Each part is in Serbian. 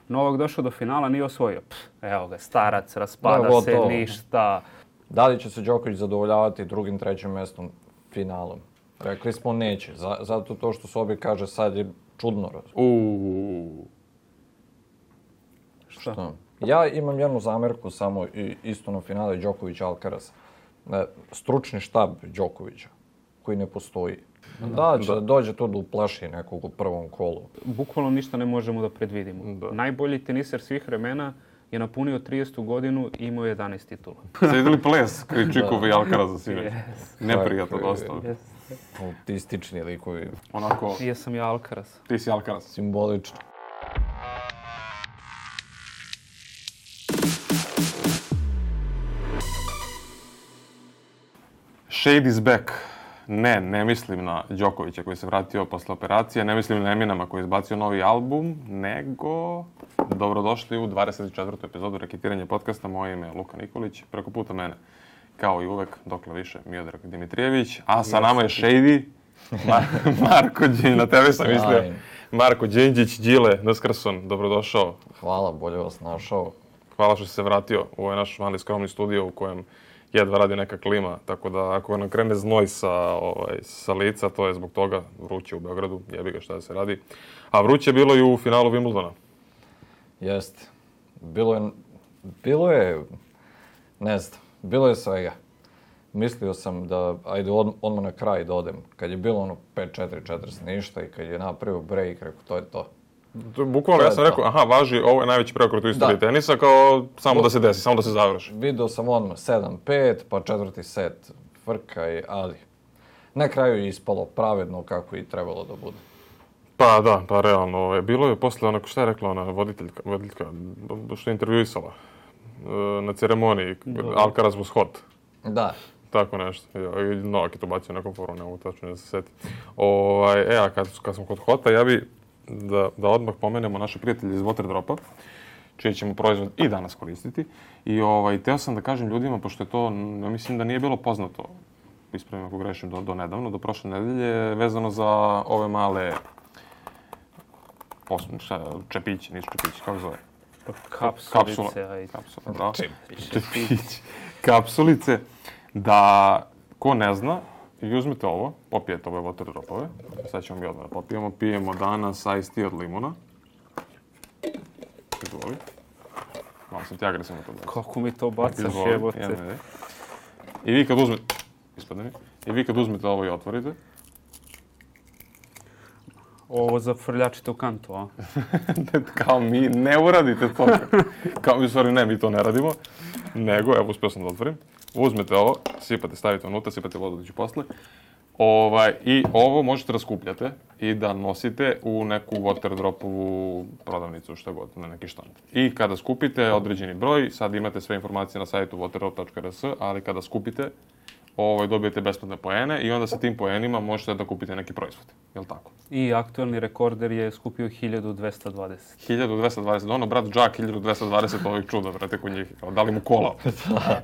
Novak došao do finala, nije osvojio. Evo ga, starac, raspada se, ništa. Da li će se Đoković zadovoljavati drugim, trećim mestom finalom? Rekli smo neće, zato to što Sobi kaže sad je čudno. Šta? Ja imam jednu zamerku samo isto na finale Đoković-Alcaraz. Stručni štab Đokovića, koji ne postoji. Da će dođe to da uplaši nekog u prvom kolu. Bukvalno ništa ne možemo da predvidimo. Najbolji teniser svih vremena je napunio 30. godinu i imao 11 titula. Ste vidjeli ples Krejčikova i Alcaraza sinoć? Neprijatno dosta. Autistični likovi. Onako... Jesam ja Alcaraz. Ti si Alcaraz. Simbolično. Shade is back. Ne mislim na Đokovića koji se vratio posle operacije, ne mislim na Eminema koji je izbacio novi album, nego dobrodošli u 24. epizodu Reketiranja podcasta. Moje ime je Luka Nikolić, preko puta mene, kao i uvek, dokle više, Miodrag Dimitrijević, a sa nama je Shady, Marko Đinđić, na tebe sam mislio, Marko Đinđić, Đile Neskrson, dobrodošao. Hvala, bolje vas našao. Hvala što si se vratio u ovaj naš mali skromni studio u kojem jedva radi neka klima, tako da ako nam krene znoj sa lica, to je zbog toga vruće u Beogradu, jebi ga šta da se radi. A vruće je bilo i u finalu Wimbledona. Jeste. Bilo je svega. Mislio sam da, ajde odmah na kraj da odem. Kad je bilo 5-4-40 ništa i kad je napravio break, rekao to je to. Bukvalno ja sam rekao, važi, ovo je najveći preokret u istoriji tenisa, kao samo da se desi, samo da se završi. Video sam odmah 7-5, pa četvrti set frka, ali na kraju je ispalo pravedno kako i trebalo da bude. Pa realno, bilo je posle onako, šta je rekla ona voditeljka što je intervjuisala na ceremoniji, Alcaraz was hot. Da. Tako nešto. Novak je to bacio na nekom foru, ne mogu tačno da se seti. A kad smo kod hota, ja bi da odmah pomenemo naše prijatelje iz Waterdropa, čiji ćemo proizvod i danas koristiti. I teo sam da kažem ljudima, pošto je to, ja mislim da nije bilo poznato, ispravim ako grešim, do nedavno, do prošle nedelje, vezano za ove male čepići, nisu čepići, kako zove? Kapsulice, da ko ne zna, i uzmite ovo, popijete ove Waterdropove. Sad ćemo mi odmah da popijemo. Pijemo danas iced tea od limuna. Izvoli. Malo sam ti agresivno to bacio. Kako mi to bacaš, jebote. I vi kad uzmete... Ispadne mi. I vi kad uzmete ovo i otvorite. Ovo zafrljačite u kantu, a? Kao mi ne uradite to. Kao mi, u stvari ne, mi to ne radimo. Nego, evo, uspio sam da otvorim. Uzmete ovo, sipate, stavite unutra, sipate vodu da ću posle. I ovo možete da skupljate i da nosite u neku Waterdropovu prodavnicu, šta god, na neki štand. I kada skupite određeni broj, sad imate sve informacije na sajtu waterdrop.rs, ali kada skupite, dobijete besplatne poene i onda sa tim poenima možete da kupite neki proizvod. Je li tako? I aktualni rekorder je skupio 1220. 1220, brat Džak 1220 ovih čuda, brate, kod njih. Da li mu kola?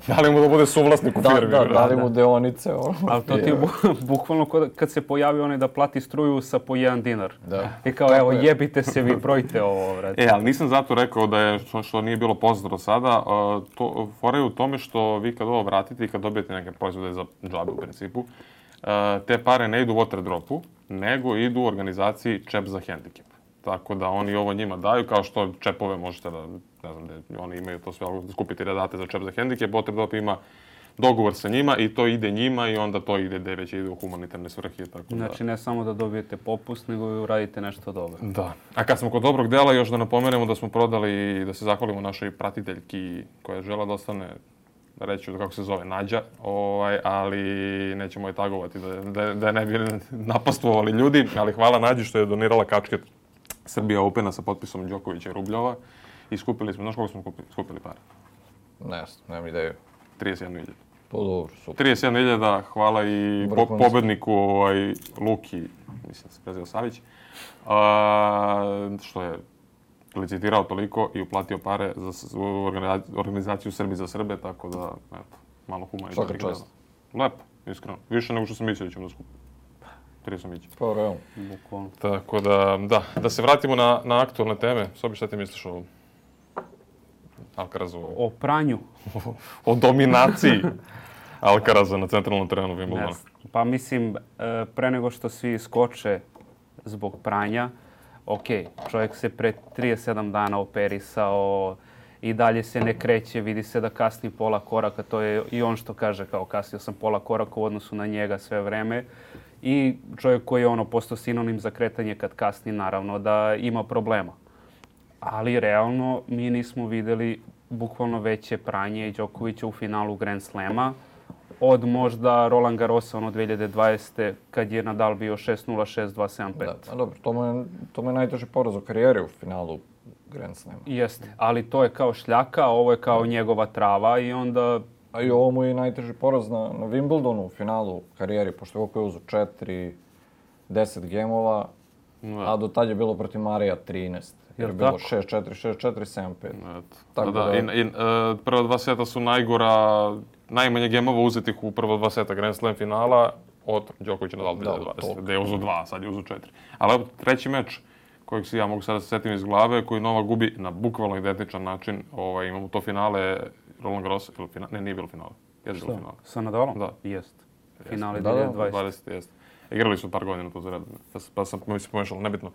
Da li mu da bude suvlasnik u firmi? Da li mu deonice? Ali to ti je bukvalno kad se pojavi onaj da plati struju sa po 1 dinar. I kao, evo, jebite se vi, brojte ovo, brate. Ali nisam zato rekao da je, što nije bilo poznato sada, fora je u tome što vi kad ovo vratite i kad dobijete neke proizvode za džabe u principu, te pare ne idu Waterdropu, nego idu u organizaciji Čep za hendikep. Tako da oni ovo njima daju, kao što čepove možete da, ne znam, oni imaju to sve, da skupite i da date za Čep za hendikep, Waterdrop ima dogovor sa njima i to ide njima i onda to ide gde već ide u humanitarne svrhe. Znači ne samo da dobijete popust, nego i uradite nešto dobro. Da. A kad smo kod dobrog dela, još da napomenemo da smo prodali i da se zahvalimo našoj pratiteljki koja je žela da ostane, reći ću kako se zove, Nađa, ali nećemo je tagovati da ne bi napastvovali ljudi, ali hvala Nađi što je donirala kačket Srbija Opena sa potpisom Đokovića i Rubljova i skupili smo, znaš koliko smo skupili para? Ne, nemam ideju. 31.000. To dobro, super. 31.000, hvala i pobedniku Luki, mislim da se preziva Savić, što je licitirao toliko i uplatio pare za organizaciju Srbi za Srbe, tako da, eto, malo humanitarnih. Svaka čast. Lepo, iskreno. Više nego što sam mislio da ćemo da skupiti. Trisomić. Pa, realno. Bukvalno. Tako da se vratimo na aktualne teme. Sobi, šta ti misliš o Alcarazu? O pranju. O dominaciji Alcaraza na centralnom terenu Wimbledona. Pa mislim, pre nego što svi skoče zbog pranja, ok, čovjek se pre 37 dana operisao, i dalje se ne kreće, vidi se da kasni pola koraka, to je i on što kaže, kao kasnio sam pola koraka u odnosu na njega sve vreme. I čovjek koji je postao sinonim za kretanje kad kasni, naravno da ima problema. Ali realno mi nismo vidjeli bukvalno veće pranje i Đokovića u finalu Grand Slama od možda Roland Garrosa 2020. kad je Nadal bio 6-0, 6-2, 7-5. Da, dobro, to mu je najteži poraz u karijeri u finalu Grand Slama. Jeste, ali to je kao šljaka, ovo je kao njegova trava i onda... A i ovo mu je najteži poraz na Wimbledonu u finalu karijeri, pošto je opet uzu 10 gemova, a do tad je bilo protiv Marija 13. Jer je bilo 6-4, 6-4, 7-5. Tako da. I prva dva seta su najmanje gemova uzetih u prva dva seta Grand Slam finala od Đokovića Nadal 2020. Gde je uzu 2, sad je uzu 4. Ali treći meč kojeg si ja mogu sada setim iz glave, koji Novak gubi na bukvalno identičan način. Imamo to finale Roland Garros, nije bilo finale. Jeste bilo finale. Sa Nadalom? Da. Jeste. Finale 2020. Jeste. Igrali su par godina to za redom. Pa sam mi se pomešalo, nebitno.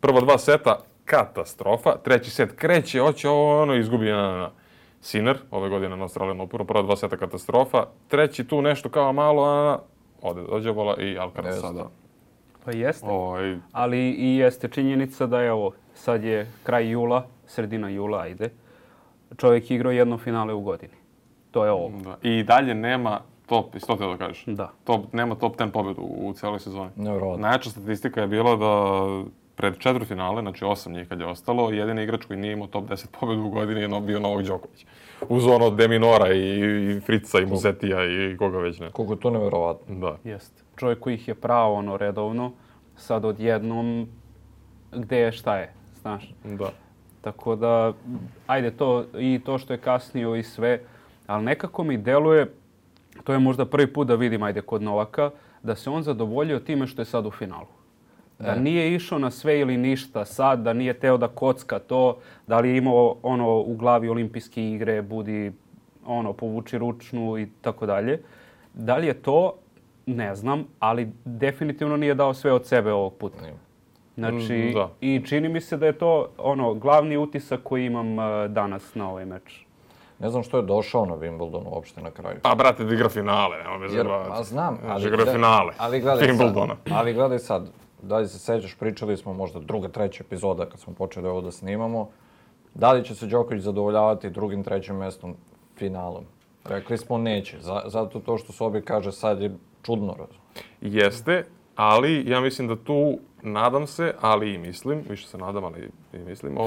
Prva dva seta, katastrofa. Treći set kreće, hoće izgubi na Sinner, ove godine na Australian Openu. Prva dva seta katastrofa. Treći tu nešto kao malo, dođe bola i Alcaraz sada. Pa jeste, ali i jeste činjenica da je sad je kraj jula, sredina jula, ajde. Čovjek igrao jedno finale u godini. To je ovo. Da. I dalje nema top, isto te da kažeš? Da. Nema top 10 pobjedu u cijeloj sezoni. Nevjerovatno. Najjača statistika je bila da pred 4 finale, znači 8 njih kad je ostalo, jedini igrač koji nije imao top 10 pobjedu u godini je bio Novak Đoković. Uz De Minora i Fritza i Musetija i koga već ne. Koliko je to nevjerovatno. Da. Jeste. Čovjek koji ih je pravo redovno, sad odjednom gdje je šta je, znaš. Da. Tako da, ajde, to što je kasnio i sve, ali nekako mi deluje, to je možda prvi put da vidim, ajde, kod Novaka, da se on zadovoljio time što je sad u finalu. Da nije išao na sve ili ništa sad, da nije teo da kocka to, da li je imao u glavi olimpijske igre, budi povuči ručnu i tako dalje. Da li je to, ne znam, ali definitivno nije dao sve od sebe ovog puta. Znači, i čini mi se da je to glavni utisak koji imam danas na ovaj meč. Ne znam što je došao na Wimbledonu uopšte na kraju. Pa, brate, da igra finale, nema me zabavati. Pa znam, ali gledaj sad. Da li se sećaš, pričali smo možda druga, treća epizoda kad smo počeli ovo da snimamo. Da li će se Đoković zadovoljavati drugim, trećim mestom finalom? Rekli smo neće, zato to što Sobi kaže sad je čudno. Jeste, ali ja mislim da tu, nadam se, ali i mislim, više se nadam, ali i mislim,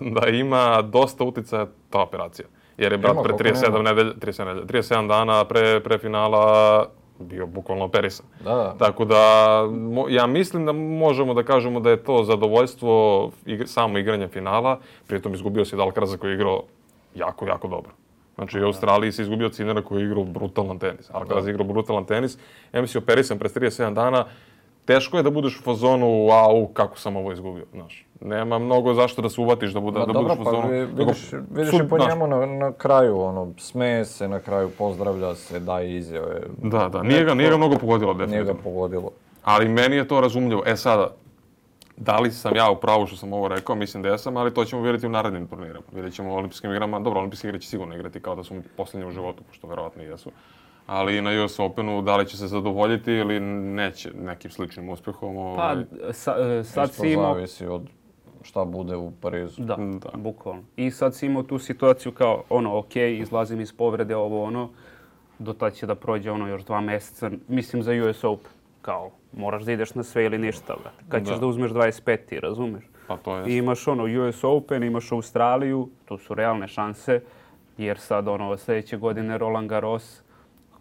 da ima dosta uticaja ta operacija. Jer je brat pre 37 dana pre finala bio bukvalno operisan. Da. Tako da, ja mislim da možemo da kažemo da je to zadovoljstvo samo igranja finala, pritom izgubio se Alcaraza koji je igrao jako, jako dobro. Znači, u Australiji se izgubio Sinnera koji je igrao brutalan tenis. Alcaraz je igrao brutalan tenis. Ja mislim, operisan pre 37 dana, teško je da budeš u fazonu, kako sam ovo izgubio, znaš. Nema mnogo zašto da se uvatiš da budeš u fazonu. Vidiš i po njemu na kraju, smeje se na kraju, pozdravlja se, daje izjave. Da, nije ga mnogo pogodilo, definitivno. Nije ga pogodilo. Ali meni je to razumljivo. Sada, da li sam ja u pravu što sam ovo rekao, mislim da jesam, ali to ćemo vidjeti u narednim turnirama. Vidjet ćemo u olimpijskim igrama, dobro, olimpijske igre će sigurno igrati kao da su posljednji u životu, pošto verovatno i jesu. Ali na US Openu da li će se zadovoljiti ili neće nekim sličnim uspjehom. Pa, sad si imao... zavisi od šta bude u Parizu. Da, bukvalno. I sad si imao tu situaciju kao, izlazim iz povrede, do tad će da prođe još 2 mjeseca, mislim za US Open. Kao, moraš da ideš na sve ili ništa, kad ćeš da uzmeš 25, razumeš? Pa to je. I imaš US Open, imaš Australiju, tu su realne šanse, jer sad sljedeće godine Roland Garros,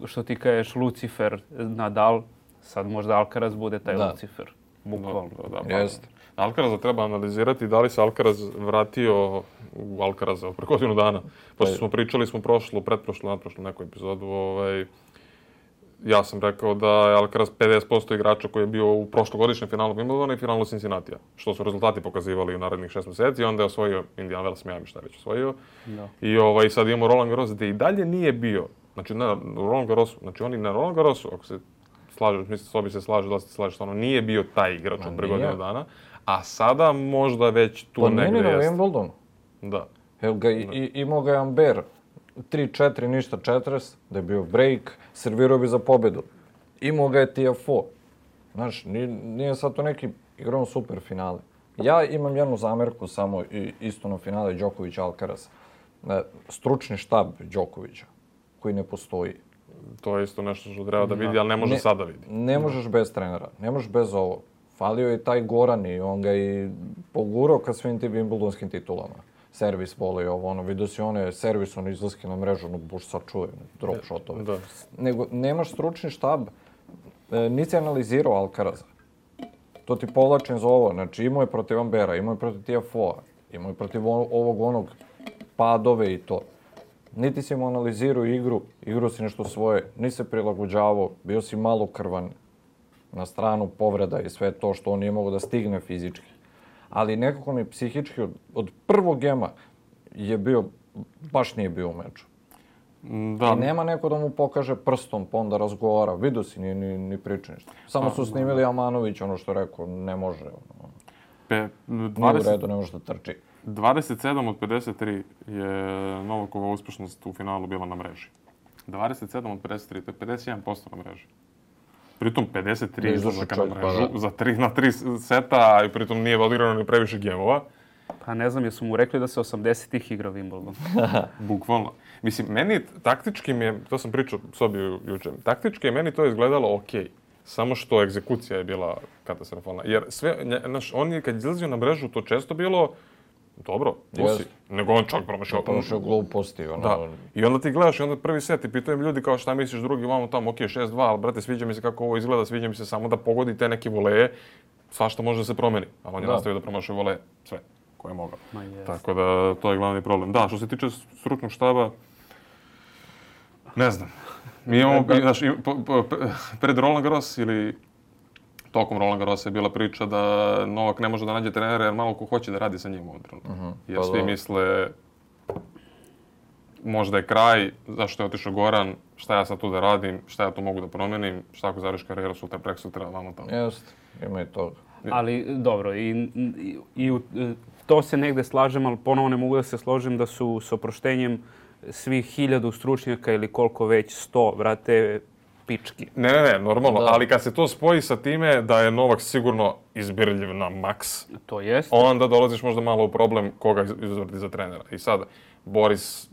što ti kažeš Lucifer, Nadal, sad možda Alcaraz bude taj Lucifer. Bukvalno. Jeste. Alcaraza treba analizirati da li se Alcaraz vratio u Alcaraza pre godinu dana. Pošto smo pričali, pretprošlu, nadprošlu neku epizodu, ja sam rekao da je Alcaraz 50% igrača koji je bio u prošlogodišnjem finalu Wimbledona i finalu Cincinnatija, što su rezultati pokazivali u narednih 6 mjeseci, onda je osvojio Indian Wells, Miami, šta je već osvojio. Da. I sad imamo Roland Garros gdje i dalje nije bio, znači na Roland Garrosu, znači oni na Roland Garrosu, ako se slažu, mislim s obi se slažu, da se slažu, stvarno nije bio taj igrač od pre godinu dana, a sada možda već tu negdje jeste. jeste. Pa meni na Wimbledonu. Da. Evo ga, imao ga je Amber, 3-4, ništa 40, da je bio break, servirao bi za pobedu. Imao ga je TFO. Znaš, nije sad to neki igrao super finale. Ja imam jednu zamerku samo isto na finale Đoković-Alcaraz. Stručni štab Đokovića, koji ne postoji. To je isto nešto što treba da vidi, ali ne može sada vidi. Ne možeš bez trenera, ne možeš bez ovo. Falio je taj Goran i on ga i pogurao ka svim tim Wimbledonskim titulama. Servis vole i ovo, ono, vidio si one servisom izlaske na mrežu, ono, buš sad čuje, drop shotove. Da. Nego, nemaš stručni štab, nisi analizirao Alcaraza. To ti povlačim za ovo, znači imao je protiv Ambera, imao je protiv TFO-a, imao je protiv ovog onog padove i to. Niti si mu analizirao igru, igrao si nešto svoje, nisi se prilagođavao, bio si malo krvan na stranu povreda i sve to što on nije mogao da stigne fizički. Ali nekako mi psihički od prvog gema je bio, baš nije bio u meču. Da. I nema neko da mu pokaže prstom, pa onda razgovara. Vidio si, ni priča ništa. Samo su snimili Amanović, ono što je rekao, ne može. Nije u redu, ne može da trči. 27 od 53 je Novakova uspješnost u finalu bila na mreži. 27 od 53, to je 51% na mreži. Pritom 53 izlazaka na mrežu za 3 seta, i pritom nije odigrano ni previše gemova. Pa ne znam, jesu mu rekli da se 80-ih igra Wimbledon. Bukvalno. Mislim, meni taktički mi je, to sam pričao sobi jučer, taktički je meni to izgledalo okej. Samo što egzekucija je bila katastrofalna. Jer sve, on je kad izlazio na mrežu, to često bilo dobro, pusi. Nego on čak promašao. Promašao gluposti. Da. I onda ti gledaš i onda prvi set i pitaju mi ljudi kao šta misliš drugi, vamo tamo, okej, 6-2, ali brate, sviđa mi se kako ovo izgleda, sviđa mi se samo da pogodi te neke voleje, svašta može da se promeni. Ali on je nastavio da promašuje voleje, sve koje je mogao. Tako da, to je glavni problem. Da, što se tiče stručnog štaba, ne znam. Mi imamo, znaš, pred Roland Garros ili tokom Roland Garrosa je bila priča da Novak ne može da nađe trenera jer malo ko hoće da radi sa njim u ovom trenutku. Jer svi misle možda je kraj, zašto je otišao Goran, šta ja sad tu da radim, šta ja tu mogu da promenim, šta ako završiš karijeru sutra, preksutra, vamo tamo. Jeste, ima i toga. Ali dobro, to se negde slažem, ali ponovo ne mogu da se složim da su s oproštenjem svih 1000 stručnjaka ili koliko već 100, brate, pički. Ne, normalno, ali kad se to spoji sa time da je Novak sigurno izbirljiv na maks, to jest, onda dolaziš možda malo u problem koga izvrti za trenera. I sad, Boris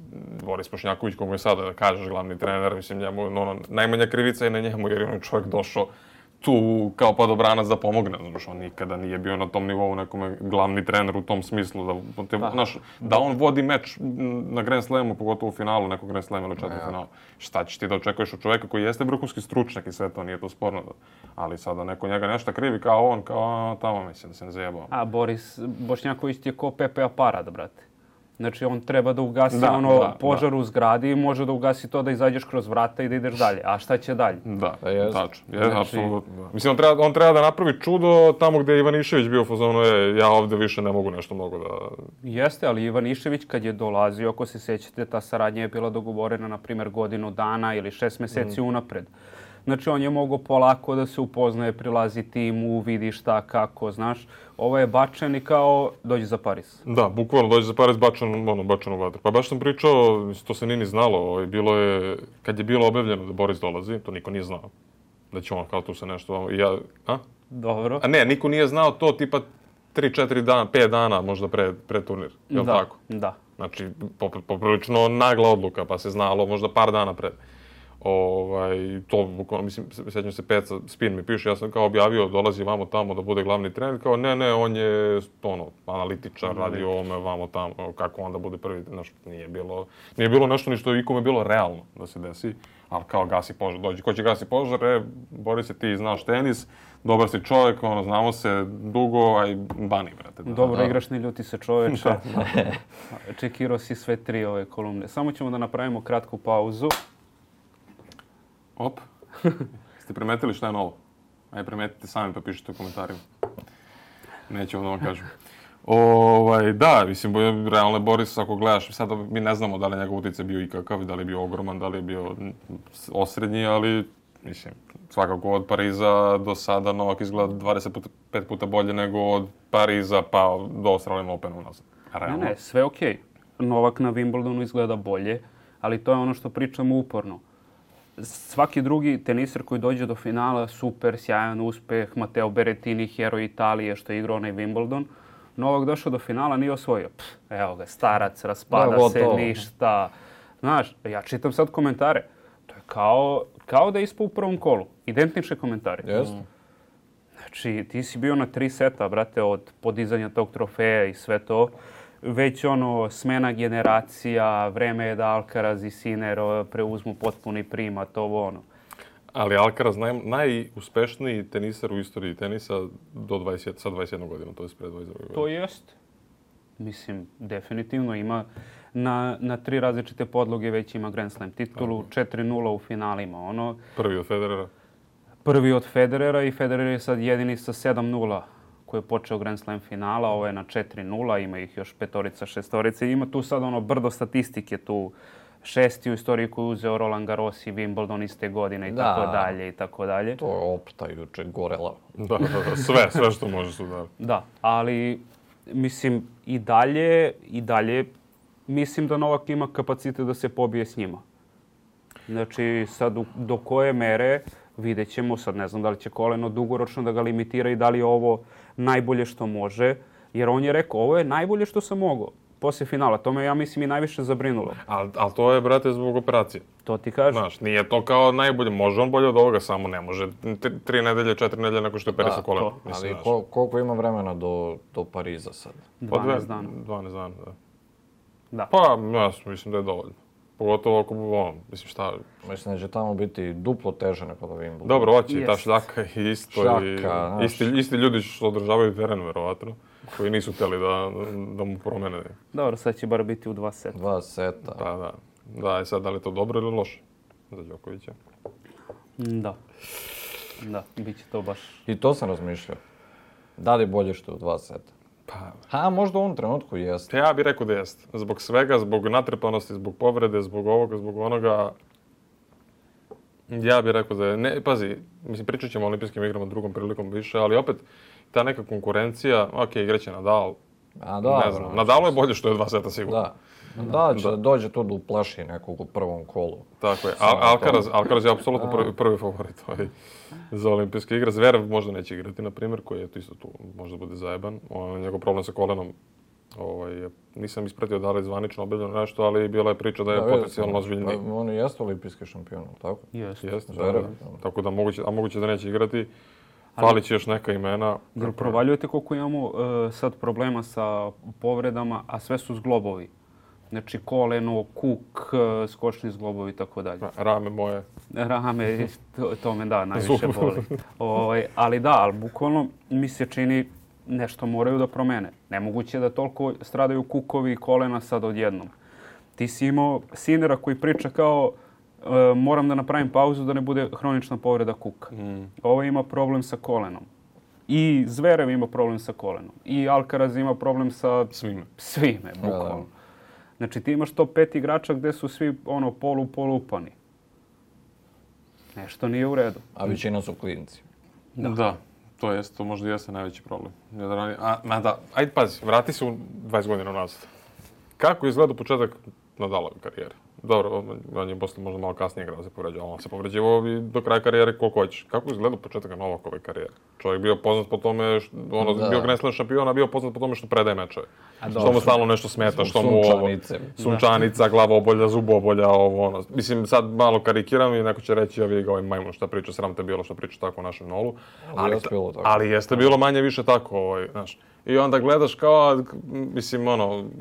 Pošnjaković, koga je sada, da kažeš, glavni trener, mislim, njemu, najmanja krivica je na njemu, jer je on čovjek došao tu kao padobranac da pomogne. Znaš, on nikada nije bio na tom nivou nekome glavni trener u tom smislu. Da on vodi meč na Grand Slamu, pogotovo u finalu nekog Grand Slama ili četvrtfinalu. Šta ćeš ti da očekuješ od čovjeka koji jeste vrhunski stručnjak i sve to, nije to sporno. Ali sada neko njega nešto krivi kao on, kao tamo, mislim da se ne zajebao. A Boris Bošnjaković ti je ko Pepe Aparat, brate. Znači, on treba da ugasi požar u zgradi i može da ugasi to da izađeš kroz vrata i da ideš dalje. A šta će dalje? Da, tačno. Apsolutno. Mislim, on treba da napravi čudo tamo gdje je Ivanišević bio u fazonu, ja ovdje više ne mogu nešto mnogo da... Jeste, ali Ivanišević kad je dolazio, ako se sjećate, ta saradnja je bila dogovorena, na primjer, godinu dana ili 6 mjeseci unapred. Znači, on je mogao polako da se upoznaje, prilazi timu, vidi šta, kako, znaš. Ovo je bačen i kao dođe za Paris. Da, bukvalno dođe za Paris bačen u vatru. Pa baš sam pričao, to se nije ni znalo, bilo je, kad je bilo objavljeno da Boris dolazi, to niko nije znao. Da će on kao tu se nešto, Dobro. A ne, niko nije znao to tipa 3-4 dana, 5 dana možda pred turnir, je li tako? Da. Znači, poprilično nagla odluka, pa se znalo možda par dana pred. To, mislim, sjećam se Peca, Spin mi piše, ja sam kao objavio, dolazi vamo tamo da bude glavni trener, kao ne, on je analitičar, radi ovome, vamo tamo, kako onda bude prvi, nije bilo nešto ni što je ikome bilo realno da se desi, ali kao gasi požar, dođi, ko će gasi požar, Boris, ti znaš tenis, dobar si čovjek, znamo se dugo, aj bani, brate. Dobro igraš, ne ljuti se čovječe. Čekirao si sve 3 ove kolumne. Samo ćemo da napravimo kratku pauzu. Op. Ste primetili šta je novo? Ajde, primetite sami pa pišite u komentarima. Neću da vam kažem. Da, mislim, realno Boris, ako gledaš, sad mi ne znamo da li je njegov utjecaj bio ikakav, da li je bio ogroman, da li je bio osrednji, ali, mislim, svakako od Pariza do sada Novak izgleda 25 puta bolje nego od Pariza pa do Australian Openu nazad. Ne, sve okej. Novak na Wimbledonu izgleda bolje, ali to je ono što pričamo uporno. Svaki drugi teniser koji dođe do finala, super, sjajan uspeh, Matteo Berrettini, heroj Italije što je igrao onaj Wimbledon. Novak došao do finala, nije osvojio. Evo ga, starac, raspada se, ništa. Znaš, ja čitam sad komentare. To je kao da je ispao u prvom kolu. Identične komentare. Jeste. Znači, ti si bio na 3 seta, brate, od podizanja tog trofeja i sve to. Već smena generacija, vreme je da Alcaraz i Sinner preuzmu potpuni primat, ovo. Ali Alcaraz najuspešniji teniser u istoriji tenisa sa 21 godina, to je pre 22 godina. To jest. Mislim, definitivno ima na 3 različite podloge već ima Grand Slam titulu, 4-0 u finalima. Prvi od Federera. Prvi od Federera i Federer je sad jedini sa 7-0 koji je počeo Grand Slam finala, ovo je na 4-0, ima ih još 5-orica, 6-orica. Ima tu sad brdo statistike, tu 6. u istoriji koju je uzeo Roland Garros i Wimbledon iste godine i tako dalje i tako dalje. To je opta juče gorela. Da, sve što može su da. Da, ali mislim i dalje mislim da Novak ima kapacitet da se pobije s njima. Znači sad do koje mere vidjet ćemo, sad ne znam da li će koleno dugoročno da ga limitira i da li je ovo najbolje što može, jer on je rekao ovo je najbolje što sam mogao. Poslije finala, to me ja mislim i najviše zabrinulo. Ali to je, brate, zbog operacije. To ti kažem. Znaš, nije to kao najbolje, može on bolje od ovoga, samo ne može 3 nedelje, 4 nedelje nakon što je perisao koleno. Ali koliko ima vremena do Pariza sad? 12 dana. 12 dana, da. Pa, mislim da je dovoljno. Pogotovo ako mislim šta... Mislim da će tamo biti duplo teže nego da Wimbledon. Dobro, hoće i ta šljaka i isto. Isti ljudi što održavaju teren, verovatno, koji nisu htjeli da mu promene. Dobro, sad će bar biti u 2 seta. 2 seta. Da, sad da li je to dobro ili loše za Đokovića? Da, bit će to baš... I to sam razmišljao. Da li je bolje što je u 2 seta? Možda u ovom trenutku jeste. Ja bih rekao da jeste. Zbog svega, zbog natrpanosti, zbog povrede, zbog ovoga, zbog onoga. Ja bih rekao da je... Ne, pazi, mislim, pričat ćemo o olimpijskim igrama drugom prilikom više, ali opet ta neka konkurencija, igraće Nadal. Ne znam, Nadalu je bolje što je 2 seta sigurno. Da, će da dođe tu da uplaši nekog u prvom kolu. Tako je. Alcaraz je apsolutno prvi favorit za olimpijske igre. Zverev možda neće igrati, na primjer, koji je isto tu možda bude zajeban. Njegov problem sa kolenom, nisam ispratio da li je zvanično objavljeno nešto, ali bila je priča da je potencijalno ozbiljniji. On je jeste olimpijski šampion, tako? Jeste. Tako da moguće da neće igrati. Falit će još neka imena. Jel provaljujete koliko imamo sad problema sa povredama, a sve su zglobovi? Znači koleno, kuk, skočni zglobovi i tako dalje. Rame moje. Rame, to me najviše boli. Ali bukvalno mi se čini nešto moraju da promene. Nemoguće da toliko stradaju kukovi i kolena sad odjednom. Ti si imao Sinnera koji priča kao moram da napravim pauzu da ne bude hronična povreda kuka. Ovo ima problem sa kolenom. I Zverev ima problem sa kolenom. I Alcaraz ima problem sa svime bukvalno. Znači ti imaš to 5 igrača gdje su svi polupani. Nešto nije u redu. A većina su klinci. Da. To možda jeste najveći problem. Ajde pazi, vrati se u 20 godina nazad. Kako izgleda početak Nadalove karijere? Dobro, on je posle možda malo kasnije igrao se povređivao, on se povređivao i do kraja karijere koliko hoćeš. Kako izgleda početak Novakove karijere? Čovjek bio poznat po tome, bio Grand Slam šampion, a bio poznat po tome što predaje mečeve. Što mu stalno nešto smeta, što mu sunčanica, glavobolja, zubobolja, Mislim, sad malo karikiram i neko će reći, ja ga ovaj majmun šta priča, sram te bilo što priča tako o našem Nolu. Ali jeste bilo manje više tako, znaš. I onda gledaš kao, mislim,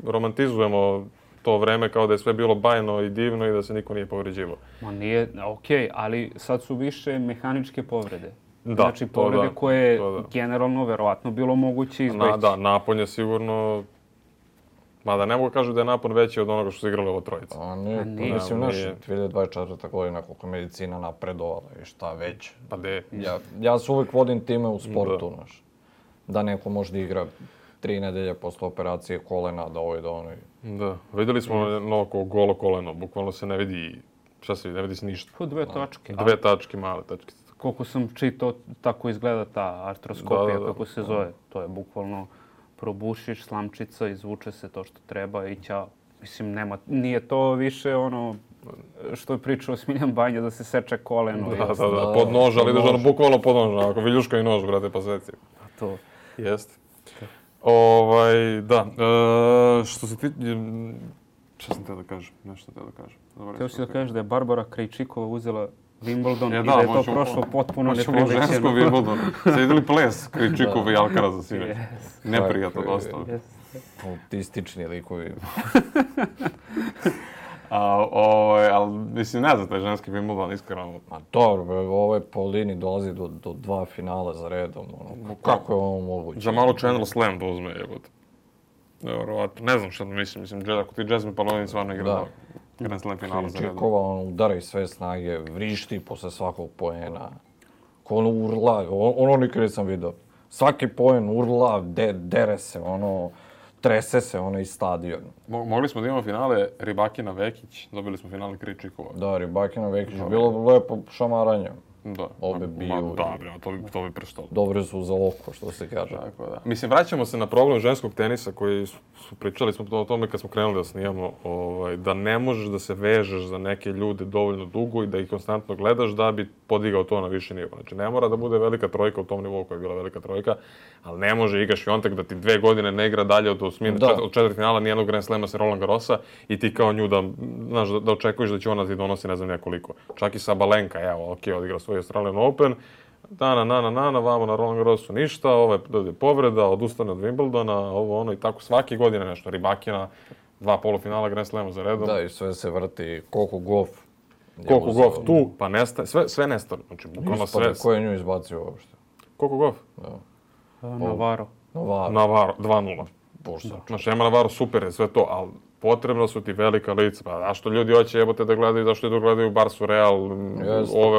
romantizujemo to vreme kao da je sve bilo bajno i divno i da se niko nije povređivao. Nije, okej, ali sad su više mehaničke povrede. Znači povrede koje generalno verovatno bilo moguće izbeći. Napon je sigurno Mada ne mogu kažu da je napon veći od onoga što su igrali ovo trojica. A nije, mislim, naš 2024. godina koliko je medicina napredovala i šta već. Pa de. Ja se uvijek vodim time u sportu, znaš. Da neko možda igra 3 nedelje posle operacije kolena, da ovo i da ono. Da, vidjeli smo oko golo koleno, bukvalno se ne vidi, šta se vidi, ne vidi se ništa. 2 tačke. 2 tačke, male tačke. Koliko sam čitao, tako izgleda ta artroskopija, kako se zove. To je bukvalno probušiš, slamčica, izvuče se to što treba i ćao. Mislim, nije to više ono što je pričao Smiljan Banja da se seče koleno. Da, pod nož, ali ideš ono bukvalno pod nož, ako viljuška i nož, brate, pa seci. To. Jeste. Da, što se ti... Šta sam teo da kažem? Nešto teo da kažem. Teo si da kažeš da je Barbara Krejčikova uzela Wimbledon i da je to prošlo potpuno neprilećeno. Možemo u ženskom Wimbledonu. Ste vidjeli ples Krejčikova i Alcaraza sinoć? Neprijatno dosta. Autistični likovi. Ali mislim, ne znam, taj ženski Wimbledon, iskreno. Ma dobro, ovoj Paulini dolazi do 2 finala za redom. Kako je ovo moguće? Za malo Chandler Slam da uzme, jebote. Vjerovatno, ne znam što da mislim, ako ti Jasmine Paulini stvarno igra Grand Slam finala za redom. Krejčikova udara iz sve snage, vrišti posle svakog poena. Ono urla, ono nikad nisam vidio. Svaki poen urla, dere se, trese se iz stadiona. Mogli smo da imamo finale Rybakina-Vekić, dobili smo finale Krejčikova. Da, Rybakina-Vekić, bilo lepo šamaranje. Da. Obe biju. Da, to bi prestalo. Dobre su za oko, što se kaže. Tako da. Mislim, vraćamo se na problem ženskog tenisa koji pričali smo o tome kad smo krenuli da snijamo, da ne možeš da se vežeš za neke ljude dovoljno dugo i da ih konstantno gledaš da bi podigao to na više nivo. Znači, ne mora da bude velika trojka u tom nivou koja je bila velika trojka, ali ne može Iga Świątek da ti 2 godine ne igra dalje od 4 finala nijednog Grand Slama sa Roland Garrosa i ti kao nju da očekuješ da će ona ti donosi ne znam nekoliko. Čak i Sabalenka, odigra svoj Australian Open, vamo na Roland Garrosu ništa, dođe povreda, odustane od Wimbledona, i tako svake godine nešto. Rybakina, 2 polufinala Grand Slama za redom. Da, i sve se vrti, koliko Gauff tu, pa nestaje, sve nestane. Znači, bukvalno sve. Ko je nju izbacio uopšte? Koliko Gauff? Navarro. 2-0. Znači, Emma Navarro super je sve to, ali potrebno su ti velika lica. Pa zašto ljudi hoće jebote da gledaju, zašto idu gledaju Barsu, Real,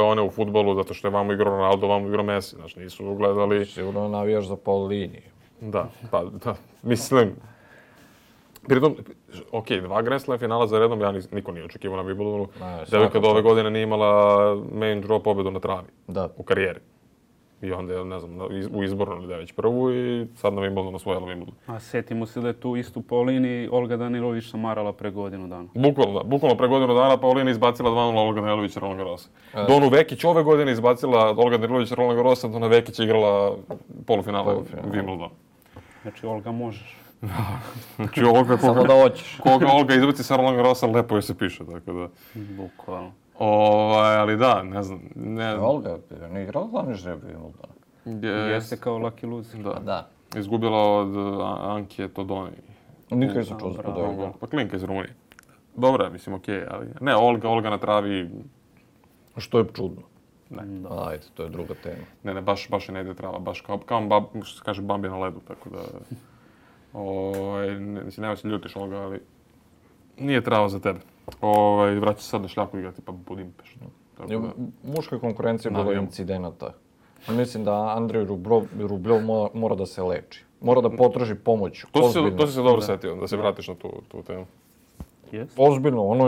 one u fudbalu, zato što je vamo igrao Ronaldo, vamo igrao Messi. Znači, nisu gledali... Sigurno navijaš za Paulini. Da, mislim... Pritom, 2 Grand Slam finala za redom, niko nije očekivao na Wimbledonu. Devojka do ove godine nije imala main draw pobedu na travi. U karijeri. I onda je, ne znam, u izbornu ili već prvu i sad na Wimbledonu osvojila Wimbledon. A setimo se da je tu istu Paulini Olga Danilović šamarala pre godinu dana. Bukvalno pre godinu dana Paulini izbacila 2-0 Olga Danilović Roland Garrosa. Donu Vekić ove godine izbacila Olga Danilović Roland Garrosa, Dona Vekić igrala polufinale Wimbledona. Znači, Olga možeš. Znači, Olga, samo da hoćeš. Koga Olga izbaci sa Roland Garrosa, lepo joj se piše, tako da... Bukvalno. Ali da, ne znam. Olga ne igrala glavni žreb Wimbledona. Jeste kao lucky loser. Da. Izgubila od Anke Todoni. Nikad nisam čuo za Todoni. Pa klinka iz Rumunije. Dobra, mislim, okej, ali... Ne, Olga na travi... Što je čudno. Ne. Ajde, to je druga tema. Ne, baš je ne ide trava, baš kao što se kaže Bambi na ledu, tako da... Mislim, nema se ljutiš, Olga, ali... Nije trava za tebe. Vraća se sad na šljaku igrati, pa Budimpešt. Muška konkurencija je bilo incidenata. Mislim da Andrej Rubljov mora da se leči. Mora da potraži pomoć. To si se dobro setio, da se vratiš na tu temu. Ozbiljno, ono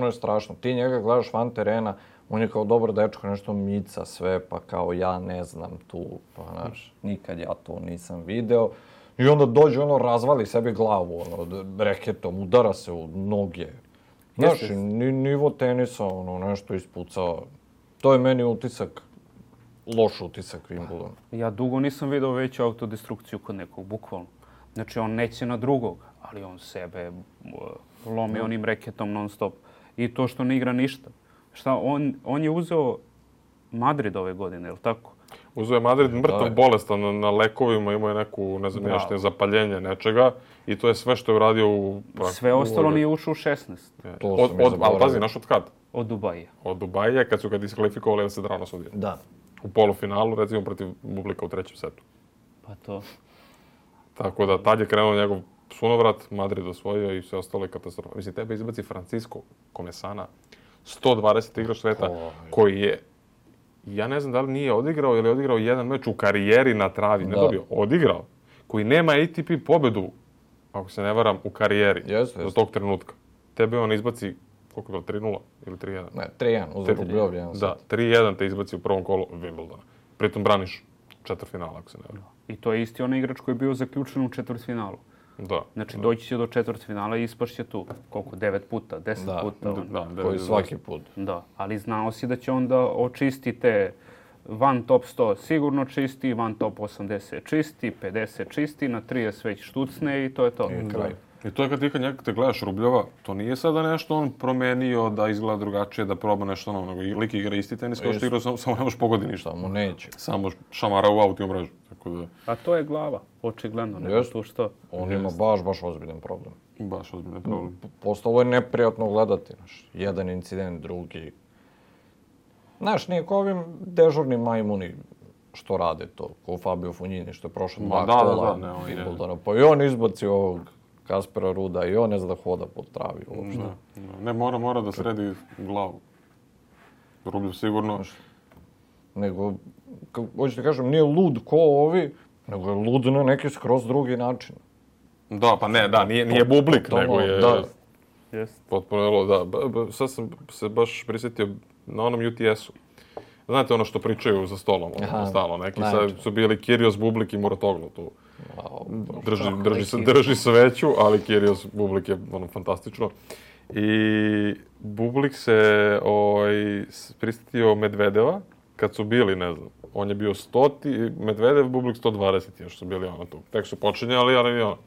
je strašno. Ti njega gledaš van terena, on je kao dobar dečko, nešto mica sve, pa kao ja ne znam tu, pa znaš, nikad ja to nisam video. I onda dođe, razvali sebi glavu, reketom, udara se u noge. Znaš, nivo tenisa, nešto ispucao. To je meni utisak, loš utisak Wimbledona. Ja dugo nisam vidio veću autodestrukciju kod nekog, bukvalno. Znači, on neće na drugog, ali on sebe lomi onim reketom non stop. I to što ne igra ništa. Šta, on je uzeo Madrid ove godine, je li tako? Uzeo je Madrid mrtav bolestan na lekovima, imao je neku, ne znam, nešto zapaljenje nečega i to je sve što je uradio u... Sve ostalo nije ušao u 16. Ali pazi, naš od kad? Od Dubaija. Od Dubaija, kad su ga diskvalifikovali da se drano sudio. Da. U polufinalu, recimo, protiv Bublika u 3. setu. Pa to. Tako da, tad je krenuo njegov sunovrat, Madrid osvojio i sve ostalo je katastrofa. Mislim, tebe izbaci Francisco Comesana, 120 igrač sveta, koji je, ja ne znam da li nije odigrao ili je odigrao jedan meč u karijeri na travi, ne dobio, odigrao, koji nema ATP pobedu, ako se ne varam, u karijeri do tog trenutka. Tebe on izbaci, koliko je bilo, 3-0 ili 3-1? Ne, 3-1, uzeo Rubljov. Da, 3-1 te izbaci u prvom kolu Wimbledona. Pritom braniš četvrtfinala, ako se ne varam. I to je isti onaj igrač koji je bio zaključen u četvrtfinalu. Da. Znači, doći će do četvrtfinala i ispašće tu. Koliko? 9 puta, 10 puta. Da, koji svaki put. Da, ali znao si da će onda očistite van top 100 sigurno čisti, van top 80 čisti, 50 čisti, na 30 već štucne i to je to. I kraj. I to je kad ti te gledaš Rubljova, to nije sada nešto on promenio da izgleda drugačije, da proba nešto novo, nego i lik igra isti tenis kao što igra, samo ne možeš pogodi ništa. Samo neće. Samo šamara u auto i u mrežu. Tako da... A to je glava, očigledno, nego tu što. On ima baš ozbiljan problem. Baš ozbiljan problem. Postalo je neprijatno gledati, znaš. Jedan incident, drugi. Znaš, nije ko ovim dežurnim majmuni što rade to, ko Fabio Fognini što je prošao 2 kola Wimbledona. Pa i on izbaci ovog Kaspera Ruda i on ne zna da hoda po travi uopšte. Ne, mora da sredi glavu. Rubljev sigurno. Nego, hoću ti kažem, nije lud ko ovi, nego je lud na neki skroz drugi način. Da, pa ne, da, nije bublik, nego je... Da. Potpuno, da. Sad sam se baš prisjetio na onom UTS-u. Znate ono što pričaju za stolom, stalno neki. Sad su bili Kyrgios, Bublik i Muratoglu tu. Drži sveću, ali Kyrgios, Bublik je ono fantastično. I Bublik se prisjetio Medvedeva kad su bili, ne znam, on je bio 100, Medvedev, Bublik 120, još su bili ono tu. Tek su počinjali, ali ono.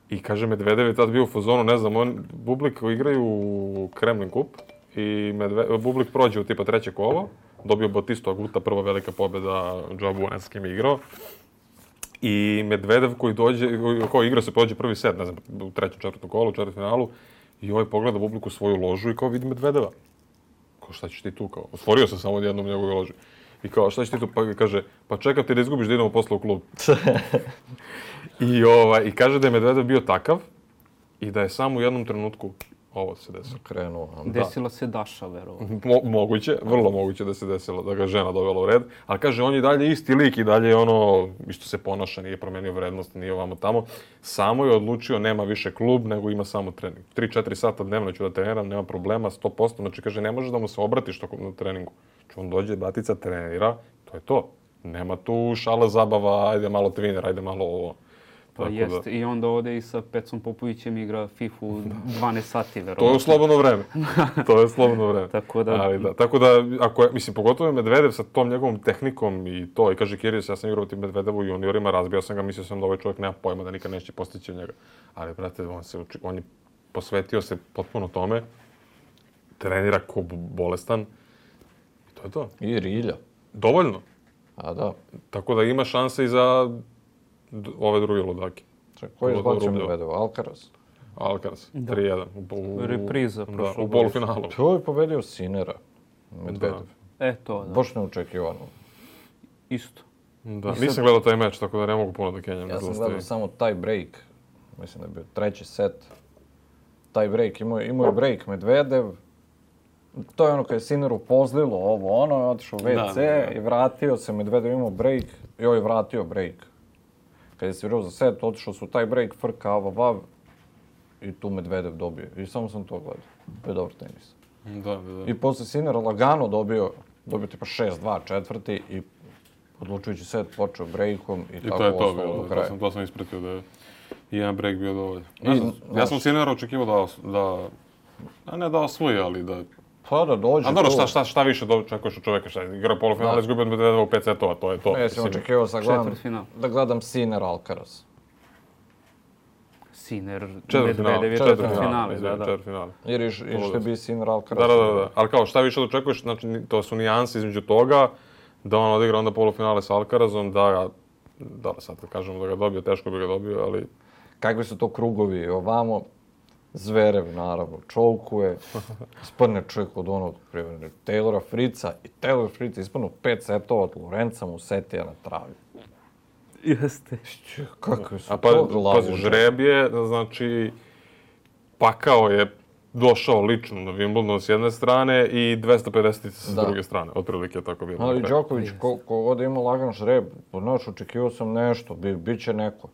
I kaže, Medvedev je tad bio u fazonu, ne znam, Bublik igraju u Kremlin Kup i Bublik prođe u tipa 3. kolo, dobio Batistu Aguta, prva velika pobjeda Joe Buena s kim je igrao. I Medvedev koji igra se prođe prvi set, ne znam, u 3. 4. kolu, u četvrtfinalu, i ovaj pogleda Bublik u svoju ložu i kao vidi Medvedeva. Kao, šta ćeš ti tu? Kao, otvorio sam samo jednom njegove loži. I kao, šta ćeš ti tu? Pa kaže, pa čekam ti da izgubiš da idemo posle u klub. I kaže da je Medvedev bio takav i da je samo u jednom trenutku ovo se desilo. Krenuo. Desila se Daša, verovatno. Moguće, vrlo moguće da se desilo, da ga žena dovela u red. Ali kaže, on je dalje isti lik i dalje ono, isto se ponaša, nije promenio vrednost, nije ovamo tamo. Samo je odlučio, nema više klub, nego ima samo trening. 3-4 sata dnevno ću da treniram, nema problema, 100%. Znači, kaže, ne može da mu se obratiš na treningu. Znači, on dođe, batica, trenira, to je to. Nema tu šala zabava, ajde malo twinner, ajde malo ovo. Pa jeste, i onda ode i sa Pecom Popovićem igra FIFA 12 sati, verovatno. To je u slobodno vreme. To je slobodno vreme. Tako da... Ali da, tako da, ako je, mislim, pogotovo je Medvedev sa tom njegovom tehnikom i to, i kaže Kyrgios, ja sam igrao tim Medvedevu u juniorima, razbio sam ga, mislio sam da ovaj čovjek nema pojma, da nikad neće postići od njega. Ali, brate, on je posvetio se potpuno tome, trenira ko bolestan, i to je to. I rilja. Dovoljno. A da. Tako da ima šanse i za ove druge ludake. Ko je izbacio Medvedev? Alcaraz? Alcaraz, 3-1. Repriza prošlo. Da, u polufinalu. To je pobedio Sinera, Medvedev. To, da. Baš neočekivano. Isto. Da, nisam gledao taj meč, tako da ne mogu puno da kenjam. Ja sam gledao samo taj break. Mislim da je bio 3. set. Taj break, imao je break Medvedev. To je ono kad je Sineru pozlilo ovo, ono, je otišao u WC i vratio se, Medvedev imao break i ovaj vratio break. Kad je svirao za set, otišao su taj break, frka, vav, i tu Medvedev dobio. I samo sam to gledao. To je dobar tenis. Da. I posle Sinera lagano dobio tipa 6-2 četvrti i odlučujući set počeo breakom i tako ostalo do kraja. To sam ispratio da je jedan break bio dovoljan. Ja sam Sinera očekivao ne da osvoji, ali da... Pa da dođe. A dobro, šta više očekuješ od čoveka, šta igra polufinale, izgubio od Medvedeva u 5 setova, to je to. Ja sam očekivao da gledam Sinner Alcaraz. Sinner, Medvedev je četvrtfinale. Jer išli bi Sinner Alcaraz. Da. Ali kao, šta više očekuješ, znači to su nijanse između toga, da on odigra onda polufinale sa Alcarazom, da sad kad kažemo da ga dobio, teško bi ga dobio, ali... Kakvi su to krugovi ovamo? Zverev, naravno, čovkuje, ispadne čovjek od onog primjer Taylora Fritza i Taylor Fritz ispadnu 5 setova od Lorenza Musetija na travi. Jeste. Kakve su A to pazi, glavuđe? žreb je, znači, pakao je došao lično na Wimbledon s jedne strane i 250 s druge strane. Otprilike je tako bilo. Ali Đoković, ko god ima lagan žreb, znaš, očekivao sam nešto, bit će neko.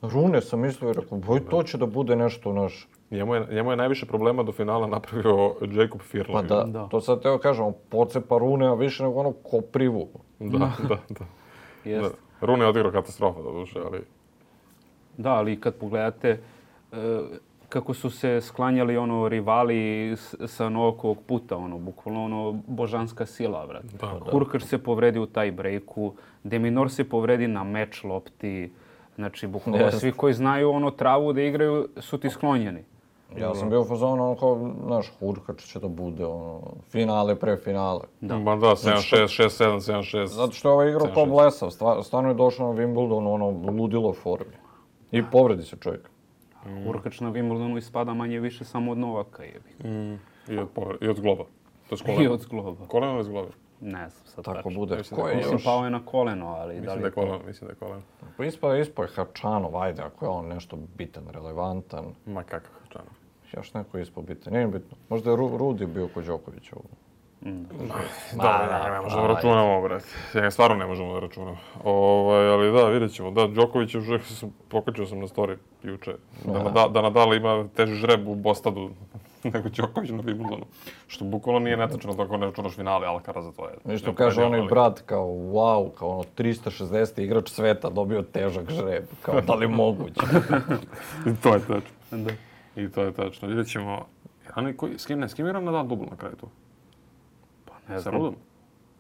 Rune sam mislio i rekao, boj, to će da bude nešto, naš. Njemu je najviše problema do finala napravio Jacob Firla. Pa da, to sad teo kažem, on pocepa Rune, a više nego ono Koprivu. Da. Jeste. Rune je odigrao katastrofa, doduše, ali... Da, ali kad pogledate kako su se sklanjali rivali sa Novakovog puta, bukvalno božanska sila, brate. Hurkacz se povredi u taj breaku, De Minaur se povredi na meč lopti, znači bukvalno svi koji znaju travu da igraju su ti sklonjeni. Ja sam bio u fazonu, kao, znaš, Hurkacz će da bude, finale pre finale. Ma da, 7-6, 6-7, 7-6. Zato što je ovaj igrao ko blesav, stvarno je došao na Wimbledon, ludilo formi. I povredi se čovjek. Hurkacz na Wimbledonu ispada manje više samo od Novaka. I od zgloba. I od zgloba. Koleno ili zgloba? Ne znam, sad tako tačno. bude. Mislim, pao je na koleno, ali Mislim da li da je koleno. Mislim da je koleno. Pa ispao je Hačanov, ajde, ako je on nešto bitan, relevantan. Ma kakav Hačanov. Još neko je ispao bitan, nije bitno. Možda je Rudi bio kod Đokovića. Da, ne možemo računamo, brate. Ja stvarno ne možemo da računamo. Ali da, vidjet ćemo. Da, Đoković je pokačio sam na story juče. Da Nadal ima teži žreb u Bostadu nego Đoković na Wimbledonu. Što bukvalno nije netačno tako ne računaš finale Alcaraza, to je. Nešto kaže onaj brat kao wow, kao 360. igrač sveta dobio težak žreb. Kao da li moguće? I to je tačno. I to je tačno. Vidjet ćemo. S kim igra Nadal dubl na kraju tu? Ne Sa znam. Rudom?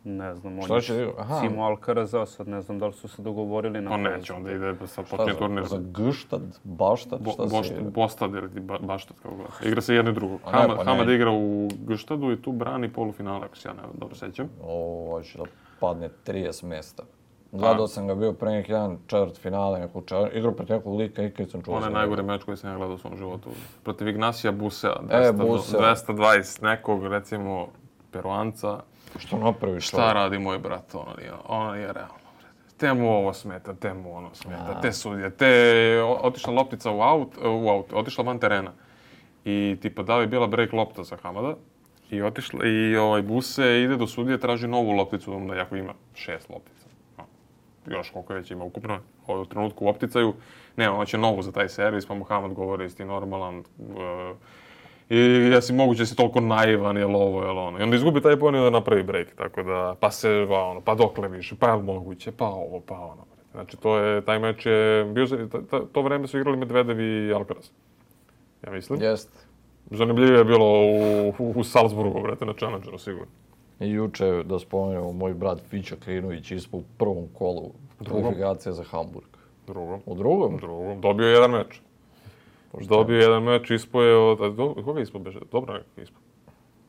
Ne znam, Šta će igra? Aha. Simo Alcaraza, sad ne znam da li su se dogovorili na... Pa neće, onda ide sa počinje turnir. Za Gštad, Baštad, šta se igra? Bostad ili Baštad, kako gleda. Igra se jedno i drugo. Hamad igra u Gštadu i tu brani polufinale, ako se ja ne dobro sećam. Ovo će da padne 30 mesta. Gledao sam ga bio pre neki jedan četvrt finale, igrao protiv nekog lika i kad sam čuo. On je najgori meč koji sam ja gledao u svom životu. Protiv Ignacija Busea, Busea. 220 nekog, recimo, Peruanca. Što napraviš? Šta radi moj brat? Ono nije realno. Te mu ovo smeta, te mu ono smeta, te sudje, otišla loptica u aut, otišla van terena. I tipa da li je bila break lopta za Hamada i otišla i Buse ide do sudije, traži novu lopticu, da jako ima 6 loptica. Još koliko već ima ukupno u trenutku u opticaju. Ne, ono će novu za taj servis, pa mu Hamad govori jesi ti normalan. I jesi moguće da si toliko naivan, jel ovo, jel ono. I onda izgubi taj poen i da napravi break, tako da, pa dokle više, pa jel moguće, pa ovo, pa ono. Znači, taj meč je bio, to vreme su igrali Medvedev i Alcaraz. Ja mislim. Jeste. Zanimljivije je bilo u Salzburgu, brate, na Challengeru, sigurno. I juče, da spomenemo, moj brat Fića Klinović ispao u prvom kolu kvalifikacija za Hamburg. U drugom? Dobio je jedan meč. Dobio je jedan meč, ispao je od... Koga je ispao beže? Dobro nekog je ispao.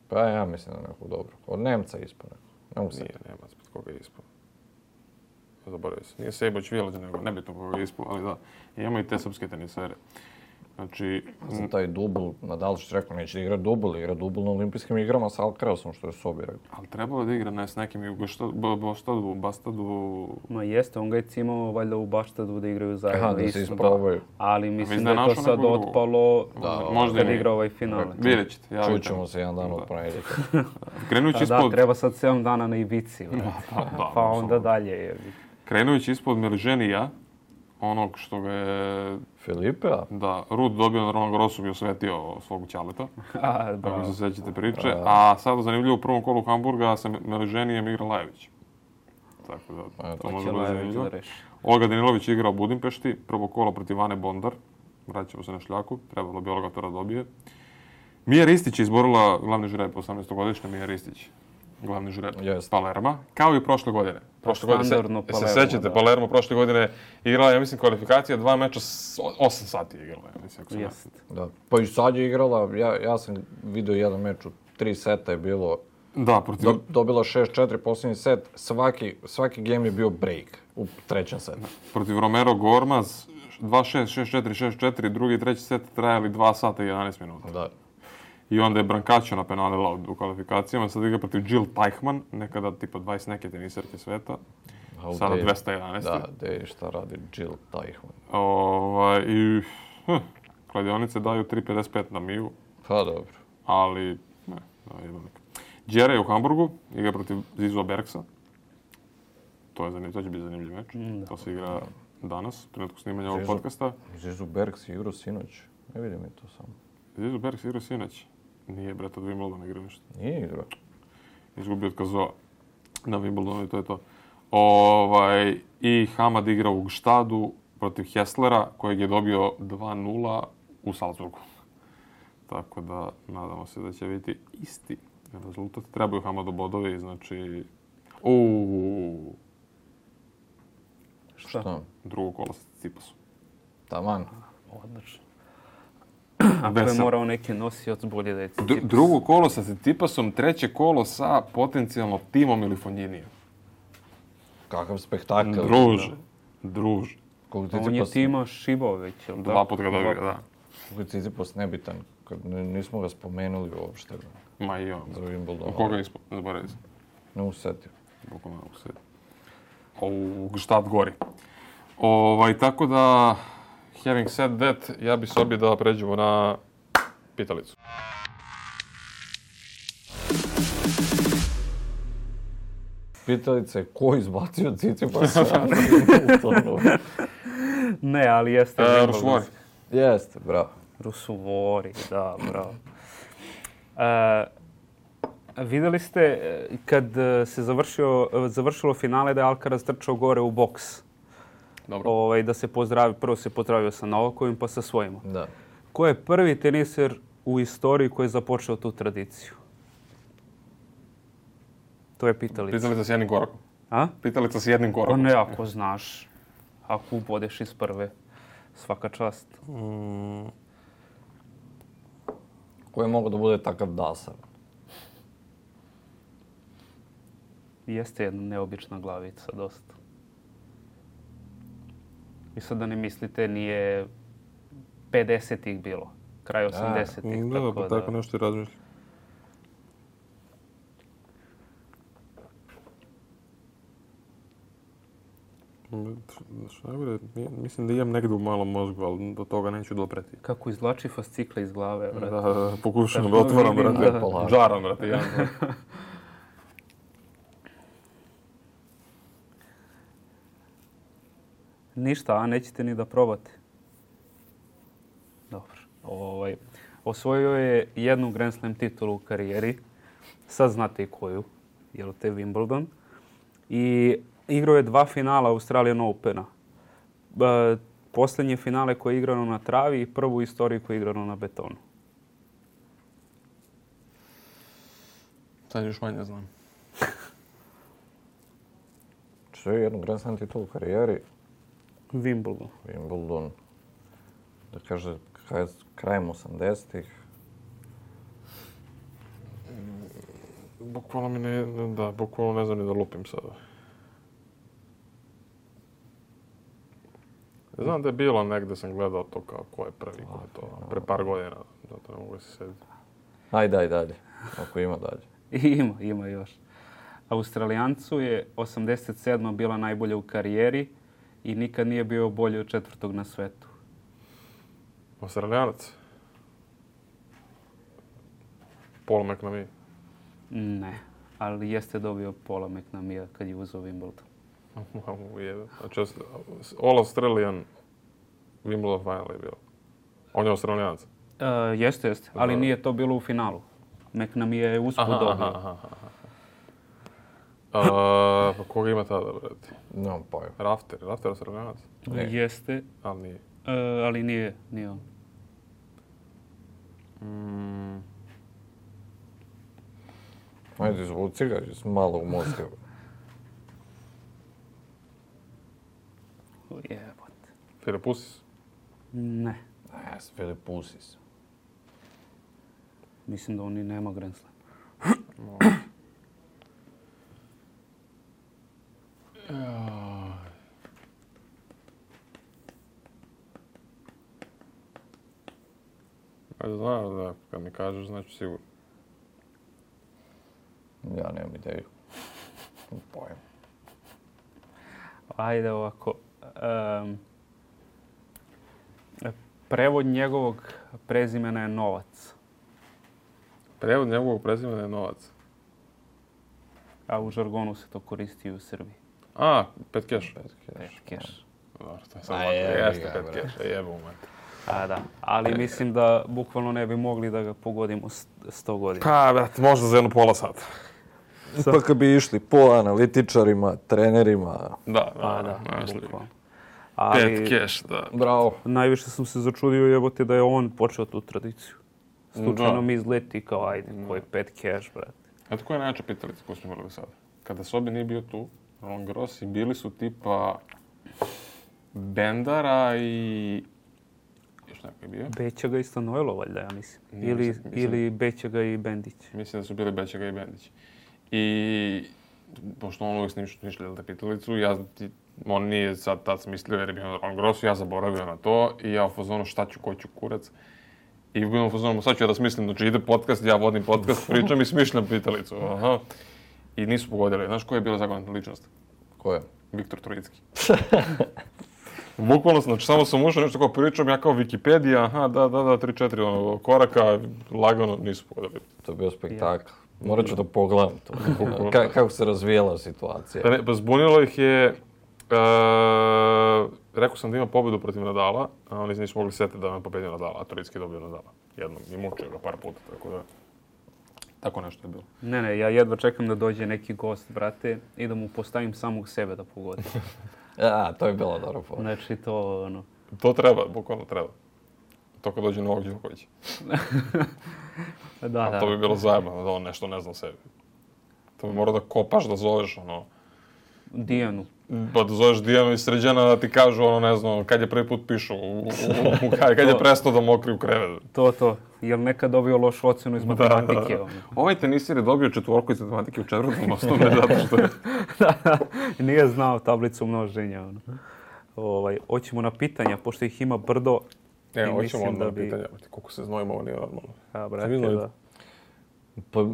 Pa ja mislim da nekog dobro. Od Nemca je ispao nekog. Nije Nemac, koga je ispao. Zaboravio se. Nije Sejboć Vjelađa, nego nebitno koga je ispao, ali da. Imamo i te srpske tenisere. Znači... Za taj dubl, Nadal što rekao, neće da igra dubl na olimpijskim igrama sa Alcarazom, što je Sobi rekao. Ali trebalo da igra s nekim i u Bastadu... Ma jeste, on ga je cimao valjda u Baštadu da igraju zajedno. Aha, da se isprobaju. Ali mislim da je to sad otpalo kad igra ovaj finale. Vidjet ćete. Čućemo se jedan dan od ponedjeljka. Krenujući ispod... Da, treba sad 7 dana na Ibici, pa onda dalje. Krenujući ispod Meliženija, onog što ga je... Filipea? Da, Rud dobio na Roland Garrosu bi osvetio svog ćaleta. Ako se sećate priče. A sada zanimljivo u prvom kolu Hamburga sa Meliženijem igra Lajević. Tako da, to može biti zanimljivo. Olga Danilović igra u Budimpešti, prvo kolo protiv Ane Bondar. Vraćamo se na šljaku, trebalo bi Olga to da dobije. Mija Ristić je izborila glavni žreb, 18-godišnja Mija Ristić. Glavni žreb Palerma, kao i prošle godine. Prošle godine, se sećate, Palermo prošle godine igrala, ja mislim, kvalifikacija, 2 meča, 8 sati je igrala, ja mislim, ako se ne. Da, pa i sad je igrala, ja sam vidio jedan meč u 3 seta je bilo, dobila 6-4 posljednji set, svaki game je bio break u trećem setu. Protiv Romero Gormaz, 2-6, 6-4, 6-4, drugi i treći set trajali 2 sata i 11 minuta. Da. I onda je Brancačo napenalila u kvalifikacijama, sad igra protiv Jill Teichmann, nekada tipa 20 neke teniserke sveta. Sada 211. Da, gdje šta radi Jill Teichmann. I kladionice daju 3,55 na Miju. Pa dobro. Ali, ne, da, jebanik. Džere je u Hamburgu, igra protiv Zizua Bergsa. To će biti zanimljiv meč. To se igra danas, u trenutku snimanja ovog podcasta. Zizu Bergs igrao sinoć. Ne vidim mi to samo. Zizu Bergs igrao sinoć. Nije, breta, od Wimbledona igrao nešto. Nije igrao. Izgubio od Kazoa na Wimbledonu i to je to. I Hamad igra u Gštadu protiv Hesslera, kojeg je dobio 2:0 u Salzburgu. Tako da, nadamo se da će biti isti rezultat. Trebaju Hamadu bodovi, znači... Šta? Drugo kolo sa Tsitsipasom. Taman. Odlično. Ako je morao neki nosioc, bolje da je Tsitsipas. Drugo kolo sa Tsitsipasom, treće kolo sa potencijalno Timom ili Fogninijem. Kakav spektakl. Druže. On je Tima Šibović, ili da? 2 puta ga dobio, da. Kako je Tsitsipas nebitan, kad nismo ga spomenuli uopšte. Ma i on. Za Wimbledon. U koga je zaboravio se? Ne usetio. Bukvalno ne usetio. U Gštad gori. Tako da, having said that, ja bi sobio da pređemo na pitalicu. Pitalica je ko izbacio Tsitsipasa? Ne, ali jeste. Rusuvori. Jeste, bravo. Rusuvori, da, bravo. Vidjeli ste kad se završilo finale da je Alcaraz trčao gore u boks. Dobro. Da se pozdravi, prvo se pozdravio sa Novakovim pa sa svojima. Da. Ko je prvi teniser u istoriji koji je započeo tu tradiciju? To je pitalica. Pitalica s jednim korakom. A? Pitalica s jednim korakom. Ne, ako znaš. Ako ubodeš iz prve. Svaka čast. Ko je mogao da bude takav dasar? Jeste jedna neobična glavica, dosta. I sad da ne mislite, nije 50-ih bilo. Kraj 80-ih. Da, pa tako nešto i razmišljam. Mislim da imam negdje u malom mozgu, ali do toga neću dopreti. Kako izvlači fascikle iz glave, brate. Da, pokušam da otvoram, brate. Džaram, brate, jedan. Ništa, a nećete ni da probate. Dobro. Osvojio je jednu Grand Slam titulu u karijeri. Sad znate i koju. Jel te Wimbledon. I igrao je 2 finala Australian Opena. Posljednje finale koje je igrano na travi i prvu istoriju koje je igrano na betonu. Sad još manje znam. Što je jednu Grand Slam titulu u karijeri? Wimbledon. Da kaže, krajem 80-ih. Bukvalno ne znam ni da lupim sada. Znam da je bilo negdje, sam gledao to kao ko je prvi, ko je to. Pre par godina, zato ne mogu se sjediti. Ajde dalje, ako ima dalje. Ima još. Australijancu je 87. bila najbolja u karijeri i nikad nije bio bolji od 4. na svetu. Australijanac? Paul McNamee? Ne, ali jeste dobio Paula McNamee kad je uzeo Wimbledon. Znači, All Australian Wimbledon final je bilo. On je Australijanac? Jeste, ali nije to bilo u finalu. McNamee je usput dobio. Pa koga ima tada, brati? Nemam pojma. Rafter Australijanac? Jeste. Ali nije. Ali nije on. Ajde, zvuci ga iz malog mozga. Jebote. Filipusis? Ne. Filipusis. Mislim da on i nema Grand Slam. znam, da, kad mi kažeš, znači sigurno. Ja nemam ideju. Pojem. Ajde ovako. Prevod njegovog prezimena je Novac. Prevod njegovog prezimena je Novac. A u žargonu se to koristi i u Srbiji. A, Petkeš. Petkeš. Dobro, to je sad lako. Jeste Petkeš, jebom mate. A da, ali mislim da bukvalno ne bi mogli da ga pogodimo 100 godina. Pa, brate, možda za jedno pola sata. Pa kad bi išli po analitičarima, trenerima. Da, nešto. bukvalno. Petkeš, da. Bravo. Najviše sam se začudio jebote da je on počeo tu tradiciju. Slučajno mi izleti kao ajde, koji Petkeš, brate. Eto koja je najjača pitalica koju smo imali sada? Kada Sobi nije bio tu, Roland Garros i bili su tipa Bendara i... Još neko je bio? Bećaga i Stanojlo, valjda, ja mislim. Ili Bećaga i Bendić. Mislim da su bili Bećaga i Bendić. I pošto on uvijek smišljali da pitalicu, on nije sad tad smislio jer je bio na Roland Garrosu, ja zaboravio na to i ja u fazonu šta ću, ko ću kurac. I u fazonu sad ću ja da smislim, znači ide podcast, ja vodim podcast, pričam i smišljam pitalicu. Aha. I nisu pogodili. Znaš koja je bila zagonetna ličnost? Ko je? Viktor Trojicki. Bukvalno, znači samo sam ušao nešto kao pričam, ja kao Wikipedija, aha, da, 3-4 koraka, lagano nisu pogodili. To je bio spektakl. Morat ću da pogledam to. Kako se razvijela situacija. Pa zbunilo ih je, rekao sam da ima pobedu protiv Nadala, a oni nisu mogli setiti da me pobedio Nadala, a Trojicki dobio Nadala. Jednom i mučio ga par puta, tako da... Tako nešto je bilo. Ne, ja jedva čekam da dođe neki gost, brate, i da mu postavim samog sebe da pogodi. To je bila dobra fora. Znači to, ono... To treba, bukvalno treba. To kad dođe Novak Đoković. Da. To bi bilo zajebano da on nešto ne zna o sebi. To bi morao da kopaš, da zoveš, ono... Dijanu. Pa da zoveš Dijanu i Sređana da ti kažu, ono, ne znam, kad je prvi put pišu, kad je prestao da mokri u krevetu. To. Jel nekad dobio lošu ocenu iz matematike? Da. Ovaj tenisir je dobio 4 iz matematike u 4. osnovne, zato što je... Nije znao tablicu množenja. Hoćemo na pitanja, pošto ih ima brdo. Hoćemo onda na pitanja. Koliko se znojimo, ovo nije normalno. A, brate, da. Pa,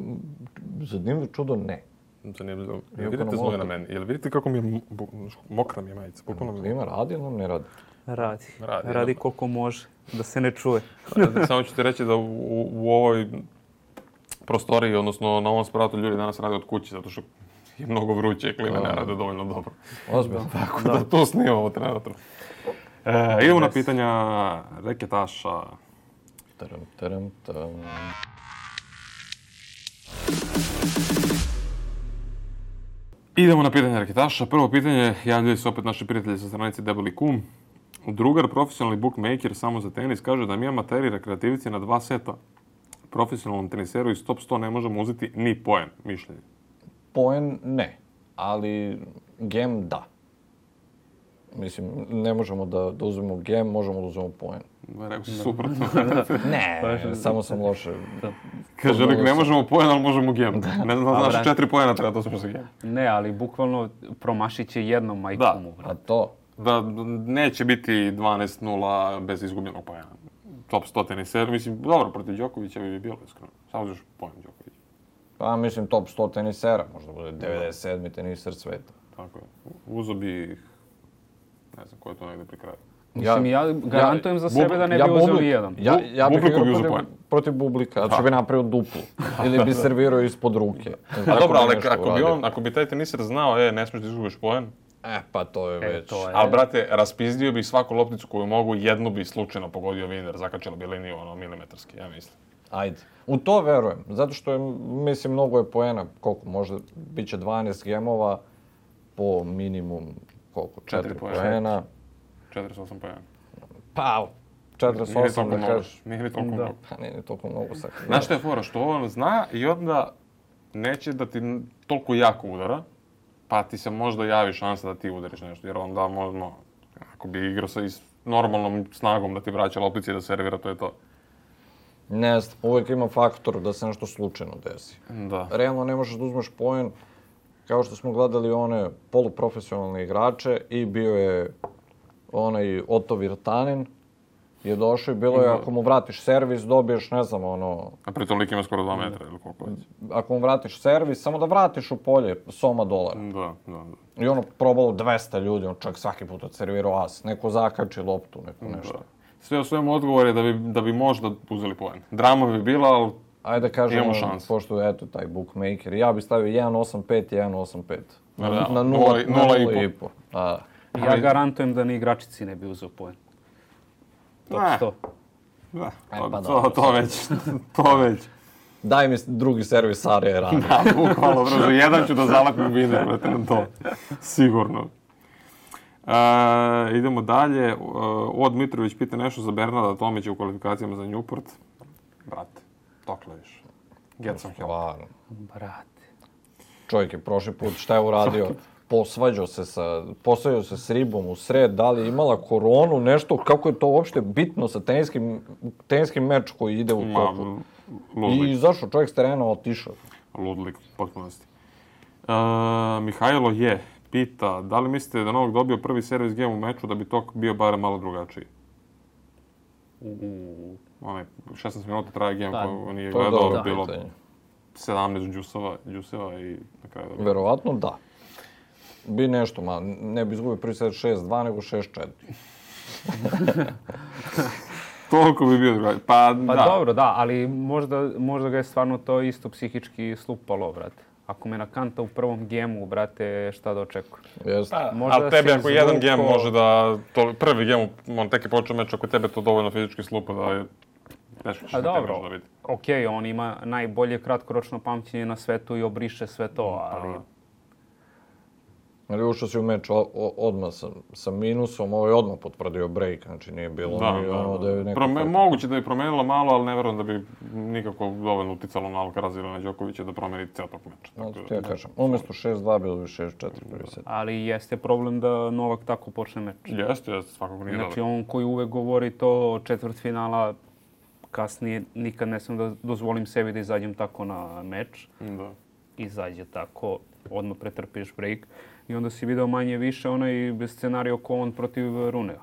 zanimljivo čudo, ne. Zanimljivo. Vidite znoj na meni. Jel vidite kako mi je mokra mi je majica? Ima radi ili ne radi? Radi koliko može, da se ne čuje. Samo ću ti reći da u ovoj prostoriji, odnosno na ovom spratu ljudi danas rade od kuće, zato što je mnogo vruće i klime ne rade dovoljno dobro. Ozbiljno. Tako da tu snimamo trenutno. Idemo na pitanja reketaša. Taram. Idemo na pitanje reketaša. Prvo pitanje, javljaju se opet naši prijatelji sa stranice Debeli Kum. Drugar, profesionalni bookmaker samo za tenis, kaže da mi amateri rekreativci na 2 seta profesionalnom teniseru iz top 100 ne možemo uzeti ni poen, mišljenje. Poen ne, ali gem da. Mislim, ne možemo da uzmemo gem, možemo da uzmemo poen. Rekao si suprotno. Ne, samo sam loše. Kaže, ne možemo poen, ali možemo gem. Ne znam, znaš 4 poena treba da uzmemo za gem. Ne, ali bukvalno promašit će jednom majkomu. A to? Da, neće biti 12-0 bez izgubljenog poena. Top 100 teniser, mislim, dobro, protiv Đokovića bi bilo iskreno. Samo uzmeš poen Đokovića. Pa mislim, top 100 tenisera, možda bude 97. teniser sveta. Tako je. Uzo bi ih, ne znam, ko je to negdje pri kraju. Mislim, ja garantujem za sebe da ne bi uzeli jedan. Ja bih Bubliku bi igrao uzeo poen. protiv Bublika, zato što bi napravio duplu. Ili bi servirao ispod ruke. A dobro, ali ako bi taj teniser znao, ne smiješ da izgubiš poen. Pa to je već. Ali, brate, raspizdio bi svaku lopticu koju mogu, jednu bi slučajno pogodio Viner, zakačila bi liniju, milimetarski, ja mislim. Ajde. U to verujem, zato što je, mislim, mnogo je poena, koliko, možda bit će 12 gemova po minimum, 4 poena. 48 poena. Pa, 48 da kažeš. Nije ni toliko mnogo. Pa nije ni toliko mnogo sad. Znaš što je fora? Što on zna i onda neće da ti toliko jako udara, pa ti se možda javi šansa da ti udariš nešto, jer onda možda, ako bi igrao sa normalnom snagom da ti vraća loptici i da servira, to je to. Ne znam, uvijek ima faktor da se nešto slučajno desi. Da. Realno ne možeš da uzmeš poen, kao što smo gledali one poluprofesionalne igrače i bio je onaj Otto Virtanen je došao i bilo je ako mu vratiš servis, dobiješ, ne znam, ono... A pri toliki ima skoro 2 metra ili koliko već. Ako mu vratiš servis, samo da vratiš u polje soma dolara. Da. I ono probalo 200 ljudi, on čak svaki put odservirao as. Neko zakači loptu, neko nešto. Da. Sve u svemu odgovor je da bi možda uzeli poen. Drama bi bila, ali ajde kažemo, imamo šansu. pošto eto taj bookmaker, ja bi stavio 1.85 i 1.85. Na 0,5. Ja garantujem da ni igračici ne bi uzeo poen. Top 100. Da, pa to već. Daj mi drugi servis Sarija radi. Da, bukvalno, brzo. Jedan ću da zalepim vine, brate, na to. Sigurno. Idemo dalje. Od Mitrović pita nešto za Bernarda Tomića u kvalifikacijama za Newport. Brate, dokle više. Get some help. Brate. Čovjek je prošli put, šta je uradio? Posvađao se s ribom u sred, da li je imala koronu, nešto, kako je to uopšte bitno sa teniskim meč koji ide u toku. I izašao čovjek s terena, otišao. Ludlik, potpunosti. Mihajlo pita, da li mislite da Novak dobio prvi servis game u meču da bi tok bio barem malo drugačiji? Onaj 16 minuta traje game koji nije gledao, bilo 17 džuseva i na kraju dobro. Verovatno da. Bi nešto, ne bi izgubio prvi set 6-2, nego 6-4. Toliko bi bio drugačiji. Pa dobro, da, ali možda ga je stvarno to isto psihički slupalo, brate. Ako me nakanta u prvom gemu, brate, šta da očekujem? Ali tebi ako jedan gem može da... Prvi gem, on tek je počeo meč, ako tebe to dovoljno fizički slupa da je... A dobro, okej, on ima najbolje kratkoročno pamćenje na svetu i obriše sve to, ali... Ali ušao si u meč odmah sa minusom, ovo je odmah potvrdio break, znači nije bilo da je neko... Moguće da je promenilo malo, ali ne verujem da bi nikako dovoljno uticalo na Alcaraz ili na Đokovića da promeni cijel tog meča. Znači, ja kažem, umjesto 6-2 bilo bi 6-4 prvi set. Ali jeste problem da Novak tako počne meč. Jeste, svakako nije dobro. Znači on koji uvek govori to četvrtfinala, kasnije nikad ne sam da dozvolim sebi da izađem tako na meč. Da. Izađe tako, odmah pretrpiš break. I onda si video manje više onaj scenario ko on protiv Runea.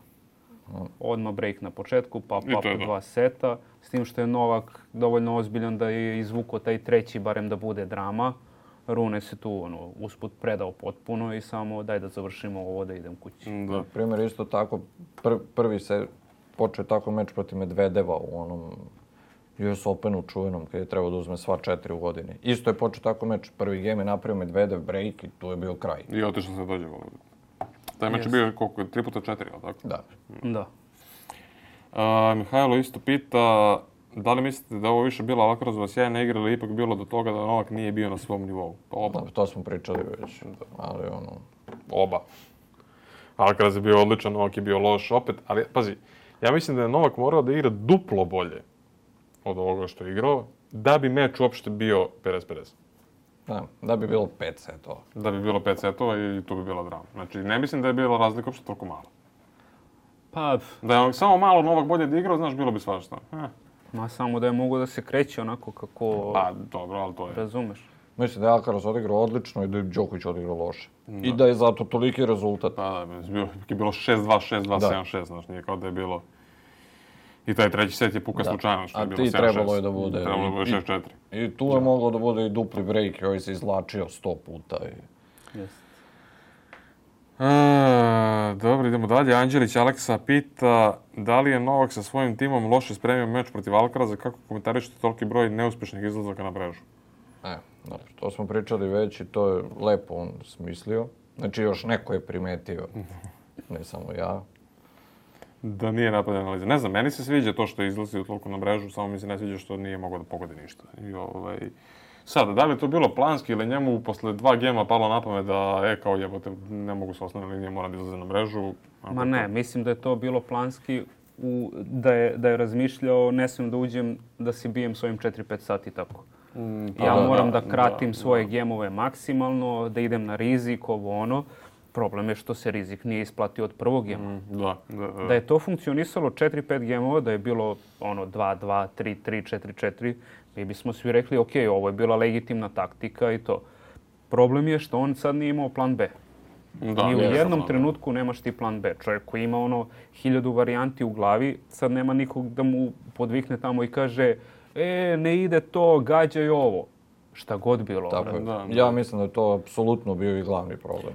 Odmah break na početku, pa 2 seta. S tim što je Novak dovoljno ozbiljan da je izvukao taj treći, barem da bude drama. Rune se tu usput predao potpuno i samo daj da završimo ovo da idem kući. Na primjer, isto tako, prvi se počeo tako meč protiv Medvedeva u onom US Openu čuvenom, kad je trebao da uzme sva 4 u godini. Isto je počeo tako meč. Prvi game je napravio Medvedev break i tu je bio kraj. I otišao se dođe. Taj meč je bio koliko? 3x4, ali tako? Da. Mihajlo isto pita, da li mislite da ovo više bila Alcarazova sjajna igra ili ipak bilo do toga da Novak nije bio na svom nivou? Pa oba. To smo pričali već, ali Oba. Alcaraz je bio odličan, Novak je bio loš opet, ali pazi, ja mislim da je Novak morao da igra duplo bolje od ovoga što je igrao, da bi meč uopšte bio 50-50. Da bi bilo 5 setova. Da bi bilo 5 setova i tu bi bila drama. Znači, ne mislim da je bila razlika uopšte toliko mala. Pa... Da je samo malo Novak bolje da igrao, znaš, bilo bi svašta. Samo da je mogo da se kreće onako kako... Pa, dobro, ali to je... Razumeš. Mislim da je Alcaraz odigrao odlično i da je Đoković odigrao loše. I da je zato toliki rezultat. Pa da, je bilo 6-2, 6-2, 7-6, znaš, nije kao da je bilo... I taj treći set je puka slučajno, što je bilo 7-6. A ti trebalo je da bude... Trebalo je da bude 6-4. I tu je moglo da bude i dupli break, i ovaj se izlačio 100 puta. Dobro, idemo dalje. Anđelić Aleksa pita da li je Novak sa svojim timom loše spremio meč protiv Alcaraza, kako komentarišete toliki broj neuspješnih izlazaka na mrežu? Dobro, to smo pričali već i to je lepo on smislio. Znači još neko je primetio, ne samo ja. Da nije napravljena analiza. Ne znam, meni se sviđa to što je izlazio toliko na mrežu, samo mi se ne sviđa što nije mogao da pogodi ništa. Sada, da li je to bilo planski ili njemu posle 2 gema palo na pamet da, kao jebote, ne mogu s osnovne linije, moram da izlaze na mrežu? Ma ne, mislim da je to bilo planski, da je razmišljao, ne smijem da uđem, da si bijem svojim 4-5 sati tako. Ja moram da kratim svoje gemove maksimalno, da idem na rizik, ovo ono. Problem je što se rizik nije isplatio od prvog gema. Da je to funkcionisalo 4-5 gemova, da je bilo 2-2, 3-3, 4-4, mi bismo svi rekli, ovo je bila legitimna taktika i to. Problem je što on sad nije imao plan B. Ni u jednom trenutku nemaš ti plan B. Čovjek koji ima 1000 varijanti u glavi, sad nema nikog da mu podvikne tamo i kaže ne ide to, gađaj ovo. Šta god bilo. Tako je. Ja mislim da je to apsolutno bio i glavni problem.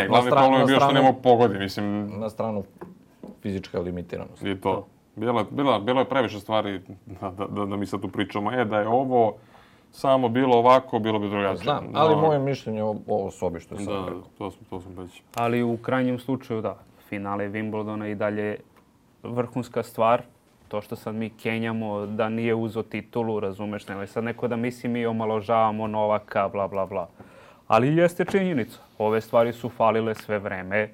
Glavni problem je bio što nema pogodi, mislim. Na stranu fizička limitiranost. I to. Bilo je previše stvari da mi sad tu pričamo. Da je ovo samo bilo ovako, bilo bi drugačije. Znam, ali moje mišljenje o sobi što je sad rekao. To sam već. Ali u krajnjem slučaju finale Wimbledona i dalje vrhunska stvar. To što sad mi kenjamo da nije uzo titulu, razumeš, nemoj sad neko da misli mi omaložavamo Novaka, bla, bla, bla. Ali jeste činjenica. Ove stvari su falile sve vreme.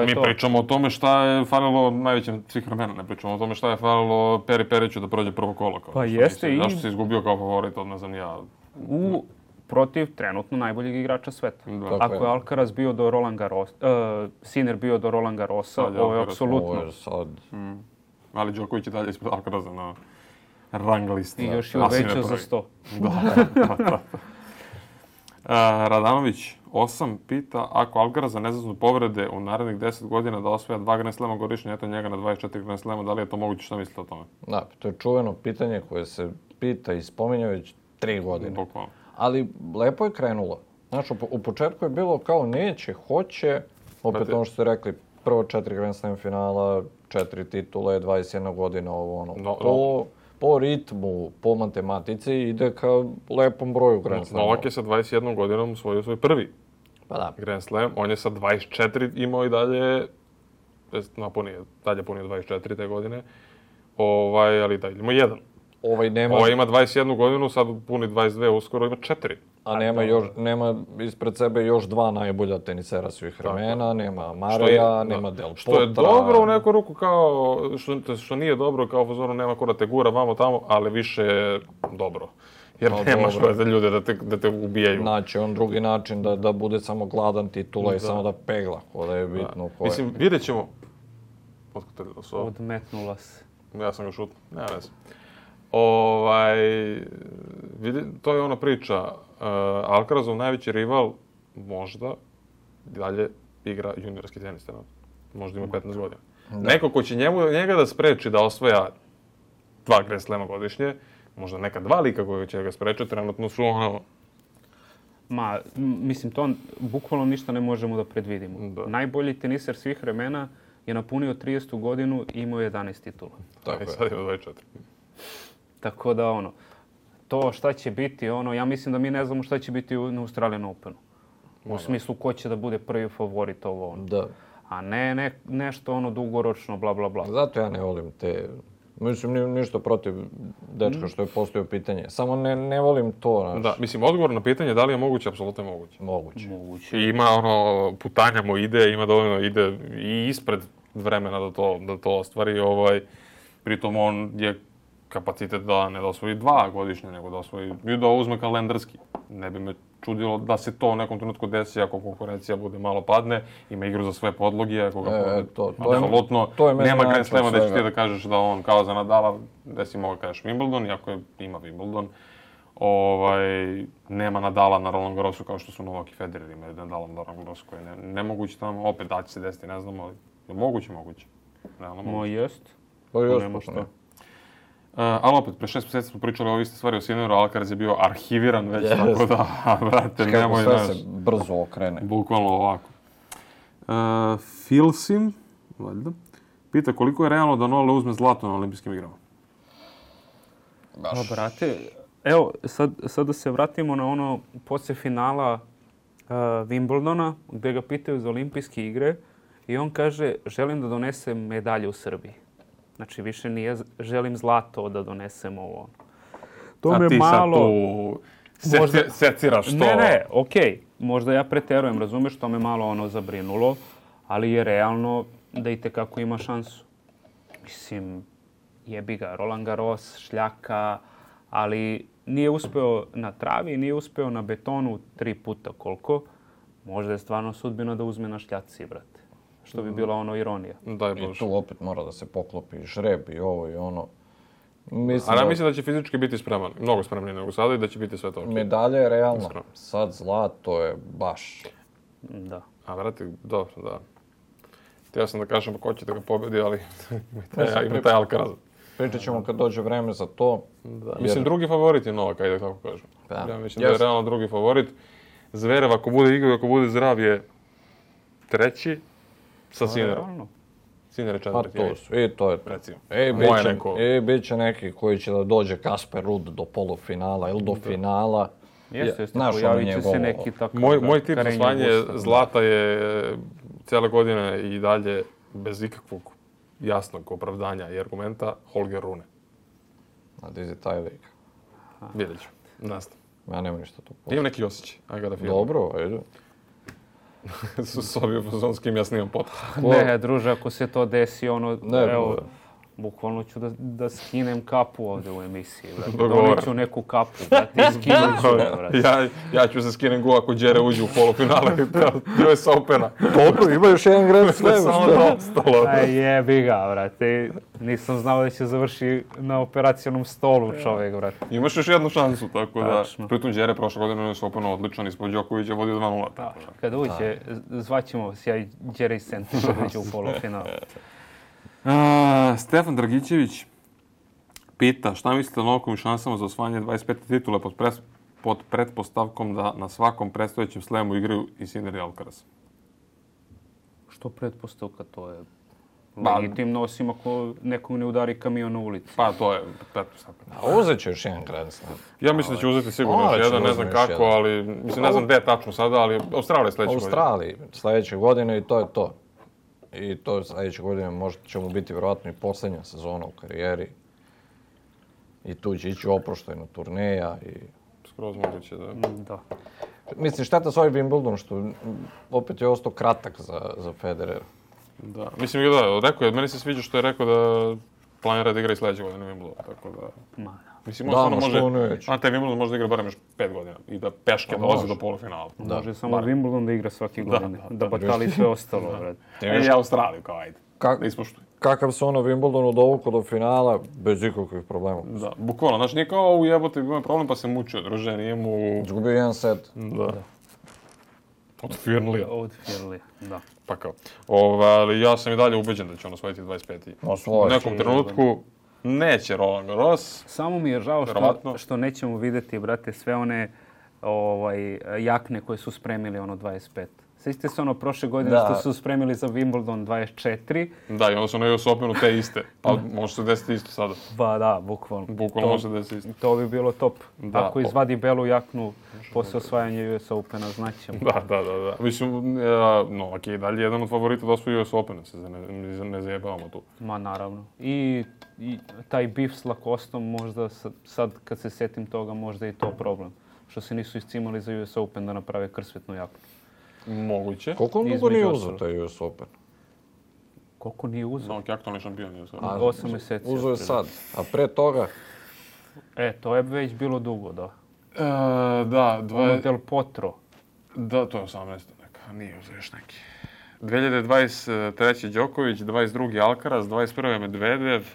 Mi pričamo o tome šta je falilo najvećem svih vremena. Ne pričamo o tome šta je falilo Peri Periću da prođe prvo kolo. Pa jeste i... Zašto si izgubio kao favorit, ne znam ja. Protiv trenutno najboljeg igrača sveta. Ako je Alcaraz bio do Roland Garros, Sinner bio do Roland Garrosa, ovo je apsolutno. Ali Đoković je dalje ispred Alcaraza na rang listi. I još je uvećao za 100. Radanović 8 pita, ako Alcaraz ne zaznu povrede u narednih 10 godina da osvaja 2 Grand Slema godišnje, eto njega na 24 Grand Slema, da li je to moguće? Šta mislite o tome? Da, to je čuveno pitanje koje se pita i spominja već 3 godine. Bukvalno. Ali lepo je krenulo. Znaš, u početku je bilo kao neće, hoće, opet ono što ste rekli, prvo 4 Grand Slam finala, 4 titule, 21 godina, po ritmu, po matematici ide ka lepom broju Grand Slama. Novak je sa 21 godinom osvojio svoj prvi Grand Slam. On je sa 24 imao i dalje, dalje punio 24 te godine, ali dalje ima jedan. Ovaj ima 21 godinu, sad puni 22, uskoro ima 4. A nema ispred sebe još 2 najbolja tenisera svih vremena, nema Mareja, nema Del Potra. Što je dobro u neku ruku, kao, što nije dobro, kao fazoru nema ko da te gura vamo tamo, ali više je dobro. Jer nemaš da ljude da te ubijaju. Naći on drugi način da bude samo gladan titula i samo da pegla, da je bitno ko je. Mislim, vidjet ćemo. Odmetnula se. Ja sam ga šutno, nema veze. To je ona priča. Alcarazov najveći rival možda dalje igra juniorski tenis. Možda ima 15 godina. Neko ko će njega da spreči da osvaja 2 Grand Slema godišnje, možda neka 2 lika koji će ga sprečiti, trenutno su mislim, to bukvalno ništa ne možemo da predvidimo. Najbolji teniser svih vremena je napunio 30. godinu i imao 11 titula. Tako je. Sad ima 24. Tako da to šta će biti, ja mislim da mi ne znamo šta će biti na Australian Openu. U smislu ko će da bude prvi favorit ovo. Da. A ne nešto dugoročno, bla, bla, bla. Zato ja ne volim te... Mislim, ništa protiv dečka što je postavio pitanje. Samo ne volim to. Da, mislim, odgovor na pitanje da li je moguće, apsolutno je moguće. Moguće. I ima putanja mu ide, ima dovoljno ide i ispred vremena da to ostvari. Pritom on je kapacitet da ne da osvoji 2 godišnje, nego da osvoji i da uzme kalendarski. Ne bi me čudilo da se to u nekom trenutku desi ako konkurencija bude malo padne, ima igru za sve podloge, ako ga apsolutno nema Grand Slema da će ti da kažeš da on kao za Nadala, da si mogu kažeš Wimbledon, iako ima Wimbledon, nema Nadala na Roland Garrosu kao što su Novak i Federer imaju Nadala na Roland Garrosu koji je nemoguće tamo, opet da će se desiti, ne znamo, ali je moguće. Jest. Nema šta. Ali opet, pre 6 mjeseci smo pričali o iste stvari o Sinneru, Alcaraz je bio arhiviran već, tako da, brate, nemoj sve se brzo okrene. Bukvalno ovako. Filsim, valjda, pita koliko je realno da Nole uzme zlato na olimpijskim igrama? Brate, evo, sad da se vratimo na poslije finala Wimbledona, gdje ga pitaju za olimpijske igre i on kaže, želim da donesem medalje u Srbiji. Znači, više nije želim zlato da donesem ovo. To me malo... A ti sad tu seciraš to? Ne, okej. Možda ja preterujem, razumeš, to me malo zabrinulo, ali je realno da itekako ima šansu. Mislim, jebi ga, Roland Garros, šljaka, ali nije uspeo na travi, nije uspeo na betonu 3 puta koliko. Možda je stvarno sudbina da uzme na šljaci, brate. Što bi bila ironija. I tu opet mora da se poklopi žreb i ovo i ono. Mislim da će fizički biti spreman, mnogo spremniji nego sada i da će biti sve to. Medalja je realno. Sad zlato je baš... Da. A, brate, dobro, da. Htio sam da kažem ko će da ga pobedi, ali ima taj Alcaraz. Pričat ćemo kad dođe vreme za to. Da. Mislim, drugi favorit je Novak, ajde tako kažem. Da. Ja mislim da je realno drugi favorit. Zverev, ako bude igrao, ako bude zdrav, je treći sa Sinnerom. Sinner je Pa četvrti. to su, i to je. Recimo. Bit će neki koji će da dođe Kasper Ruud do polufinala ili do finala. Jeste, pojavit će se neki tako... Moj tip za osvajanje zlata je cijele godine i dalje bez ikakvog jasnog opravdanja i argumenta Holger Rune. A di je taj lik? Vidjet ću. Nastav. Ja nemam ništa tu. Imam neki osjećaj. I got a feeling. Dobro, ajde. S ovim s kim ja snimam podcast. Ne, druže, ako se to desi, ono, Ne, evo, bukvalno ću da skinem kapu ovdje u emisiji, brate. Dogovor. Donijet ću neku kapu, brate, i skinut ću je, brate. Ja ću se skinem go ako Đere uđe u polufinale US Opena. Dobro, ima još jedan Grand Slam. Samo to ostalo. Aj jebi ga, brate. Nisam znao da će završi na operacionom stolu čovjek, brate. Imaš još jednu šansu, tako da... Tačno. Pritom Đere prošle godine US Opena odličan, ispod Đokovića vodio 2:0. tako da. Kad uđe, zvaćemo vas ja i Jerry Center da uđe u polufinal. Stefan Dragićević pita šta mislite o Novakovim šansama za osvajanje 25. titule pod pretpostavkom da na svakom predstojećem slemu igraju i Sinner i Alcaraz. Što pretpostavka, to je legitimno, osim ako nekog ne udari kamion na ulici. Pa to je pretpostavka. A uzet će još jedan Grand Slam. Ja mislim da će uzeti sigurno još Morat će jedan, ne znam uzeti još kako, jedan. ali mislim ne znam gdje je tačno sada, ali Australija sljedeće godine. Australiji sljedeće godine i to je to. I to sljedeće godine možda će mu biti vjerojatno i posljednja sezona u karijeri. I tu će ići oproštajno turneja i... Skroz moguće, da. Da. Mislim, šteta s ovaj Wimbledon što opet je ostao kratak za Federera. Da. Mislim da, rekao je, meni se sviđa što je rekao da planira da igra i sljedeće godine Wimbledon, tako da... Ma, da. Mislim, Da, on ma što on može, već. a taj Wimbledon može da igra barem još 5 godina i da peške dolazi do polufinala. Da. Može samo Wimbledon da igra svake godine, da, da batali sve ostalo, brate. I Australiju kao ajde, da ispoštuj. Kakav se ono Wimbledonu dovukao do finala, bez ikakvih problema. Da, bukvalno, znači nije kao u jebote imao problem pa se mučio, druže, nije mu... Izgubio jedan set. Da. Od Firlija. Od Firlija, da. Pa kao. Ali ja sam i dalje ubeđen da će on osvojiti 25. U nekom trenutku neće Roland Garros. Samo mi je žao Verovatno. što nećemo vidjeti, brate, sve one jakne koje su spremili ono 25. Sjećate se ono prošle godine što su spremili za Wimbledon 24? Da, i onda su na US Openu te iste. Pa može se desiti isto sada. Ba da, bukvalno. Bukvalno može se desiti isto. To bi bilo top. Da. Ako izvadi belu jaknu posle osvajanja US Opena, znaćemo. Da. Mislim, Novak je i dalje jedan od favorita da osvoji US Opena, se ne zajebavamo tu. Ma naravno. I taj bif s Lacostom možda sad kad se sjetim toga možda je i to problem. Što se nisu iscimali za US Open da naprave krsvetnu jaknu. Moguće. Koliko on dugo nije uzeo taj US Open? Koliko nije uzeo? Novak je aktualni šampion. 8 mjeseci. Uzeo je sad. A pre toga? To je već bilo dugo, da. Da, Ono Del Potro. Da, to je 18. neka, nije uzeo još neki. 2023. Đoković, 22. Alcaraz, 21. Medvedev,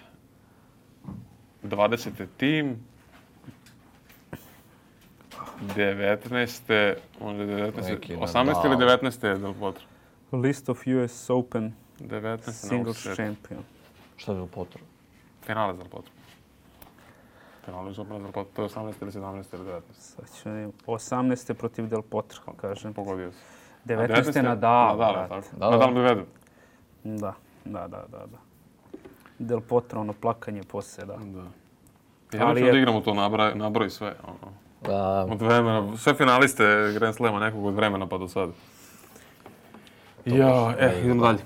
20. Tim, 19. možda 19. 18. ili 19. je Del Potro? List of US Open 19. singles champion. Šta je bilo potrebno? Finale za Del Potro. Finale za Del Potro, to je 18. ili 17. ili 19. Sad ću vidim. 18. protiv Del Potro, kažem. Pogodio se. 19. Nadal, Nadal, brate. tako. Nadal Medvedev. Da. Del Potro, ono plakanje poslije, da. Ja neću da igramo to, nabroj sve. Da. Od vremena, sve finaliste Grand Slema nekog od vremena pa do sada. Idemo dalje.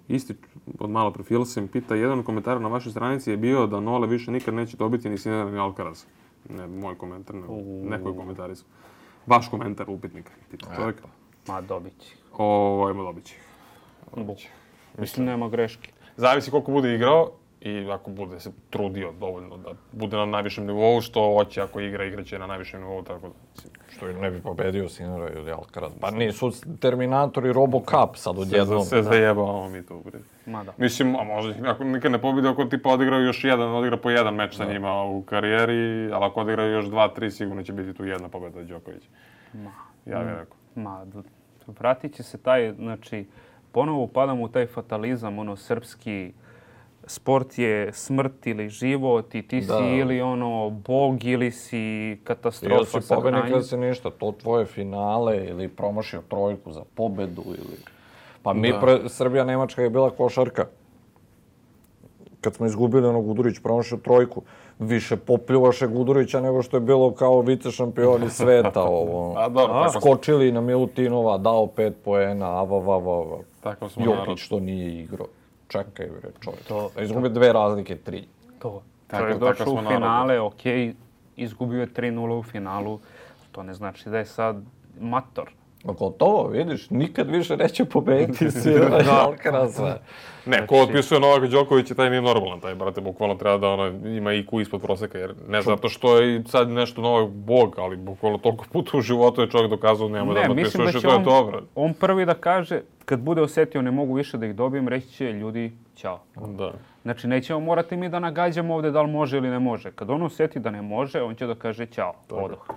Isti od malo profila sam pita, jedan komentar na vašoj stranici je bio da Nole više nikad neće dobiti ni Sinner ni Alcaraz. Ne moj komentar, neko je komentarisao. Vaš komentar upitnika, pita čovjek. Ma dobit će. Dobit će. Mislim, nema greške. Zavisi koliko bude igrao i ako bude se trudio dovoljno da bude na najvišem nivou, što hoće ako igraće na najvišem nivou, tako da... Što ne bi pobedio Sinnera ili Alcaraz. Pa nisu Terminator i Robocup sad odjednom. Se zajebavamo mi to. Ma da. Mislim, a možda ako nikad ne pobedi, ako tipa odigra po jedan meč sa njima u karijeri, ali ako odigra još 2-3, sigurno će biti tu jedna pobeda Đokovića. Ja bih rekao. Vratit će se taj, znači, ponovo upadamo u taj fatalizam, ono, srpski, sport je smrt ili život i ti si ili ono, bog ili si katastrofa sa hranjem. Ili si pobednik ili si ništa, to tvoje finale ili promašio trojku za pobedu ili... Pa Srbija-Nemačka je bila košarka. Kad smo izgubili onog Gudurić, promašio trojku, više popljuvaše Gudurića nego što je bilo kao vice šampioni sveta. Skočili na Milutinova, dao 5 poena, Jokić što nije igrao. Čekaj, bre, čovjek. Izgubio 2 razlike, 3. Čovjek došao u finale, okej, izgubio je 3-0 u finalu. To ne znači da je sad mator. Gotovo, vidiš, nikad više neće pobediti Alcaraza. Ne, ko otpisuje Novaka Đokovića, taj nije normalan, taj, brate, bukvalno treba da ima IQ ispod proseka, jer ne zato što je sad nešto novo bog, ali bukvalno toliko puta u životu je čovjek dokazao nema da otpisuješ i to je dobro. On prvi da kaže, kad bude osjetio ne mogu više da ih dobijem, reći će ljudi, ćao. Da. Znači, nećemo morati mi da nagađamo ovdje da li može ili ne može. Kad on osjeti da ne može, on će da kaže ćao, odoh.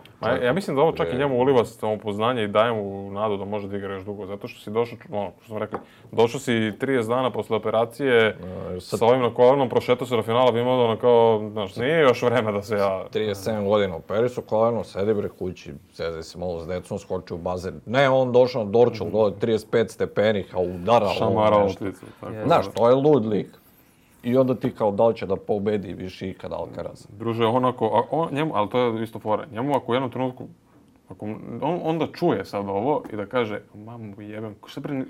Ja mislim da ovo čak i njemu uliva samopoznanje i daje mu nadu da može da igra još dugo. Zato što si došao, što smo rekli, došao si 30 dana posle operacije sa ovim na kolenom, prošetao se do finala, bi imao kao, znaš, nije još vreme da se ja... 37 godina operisu koleno, sedi bre kući, sedi se malo s decom, skoči u bazen. Ne, on došao na Dorčul, dole 35 stepenih, a udarao. Šamarao uticu. Znaš, to je lud lik. I onda ti kao da li će da pobedi više ikad Alcaraz. Druže, njemu, ali to je isto fora, njemu ako u jednom trenutku, on onda čuje sad ovo i da kaže, mamu jebem, šta bre,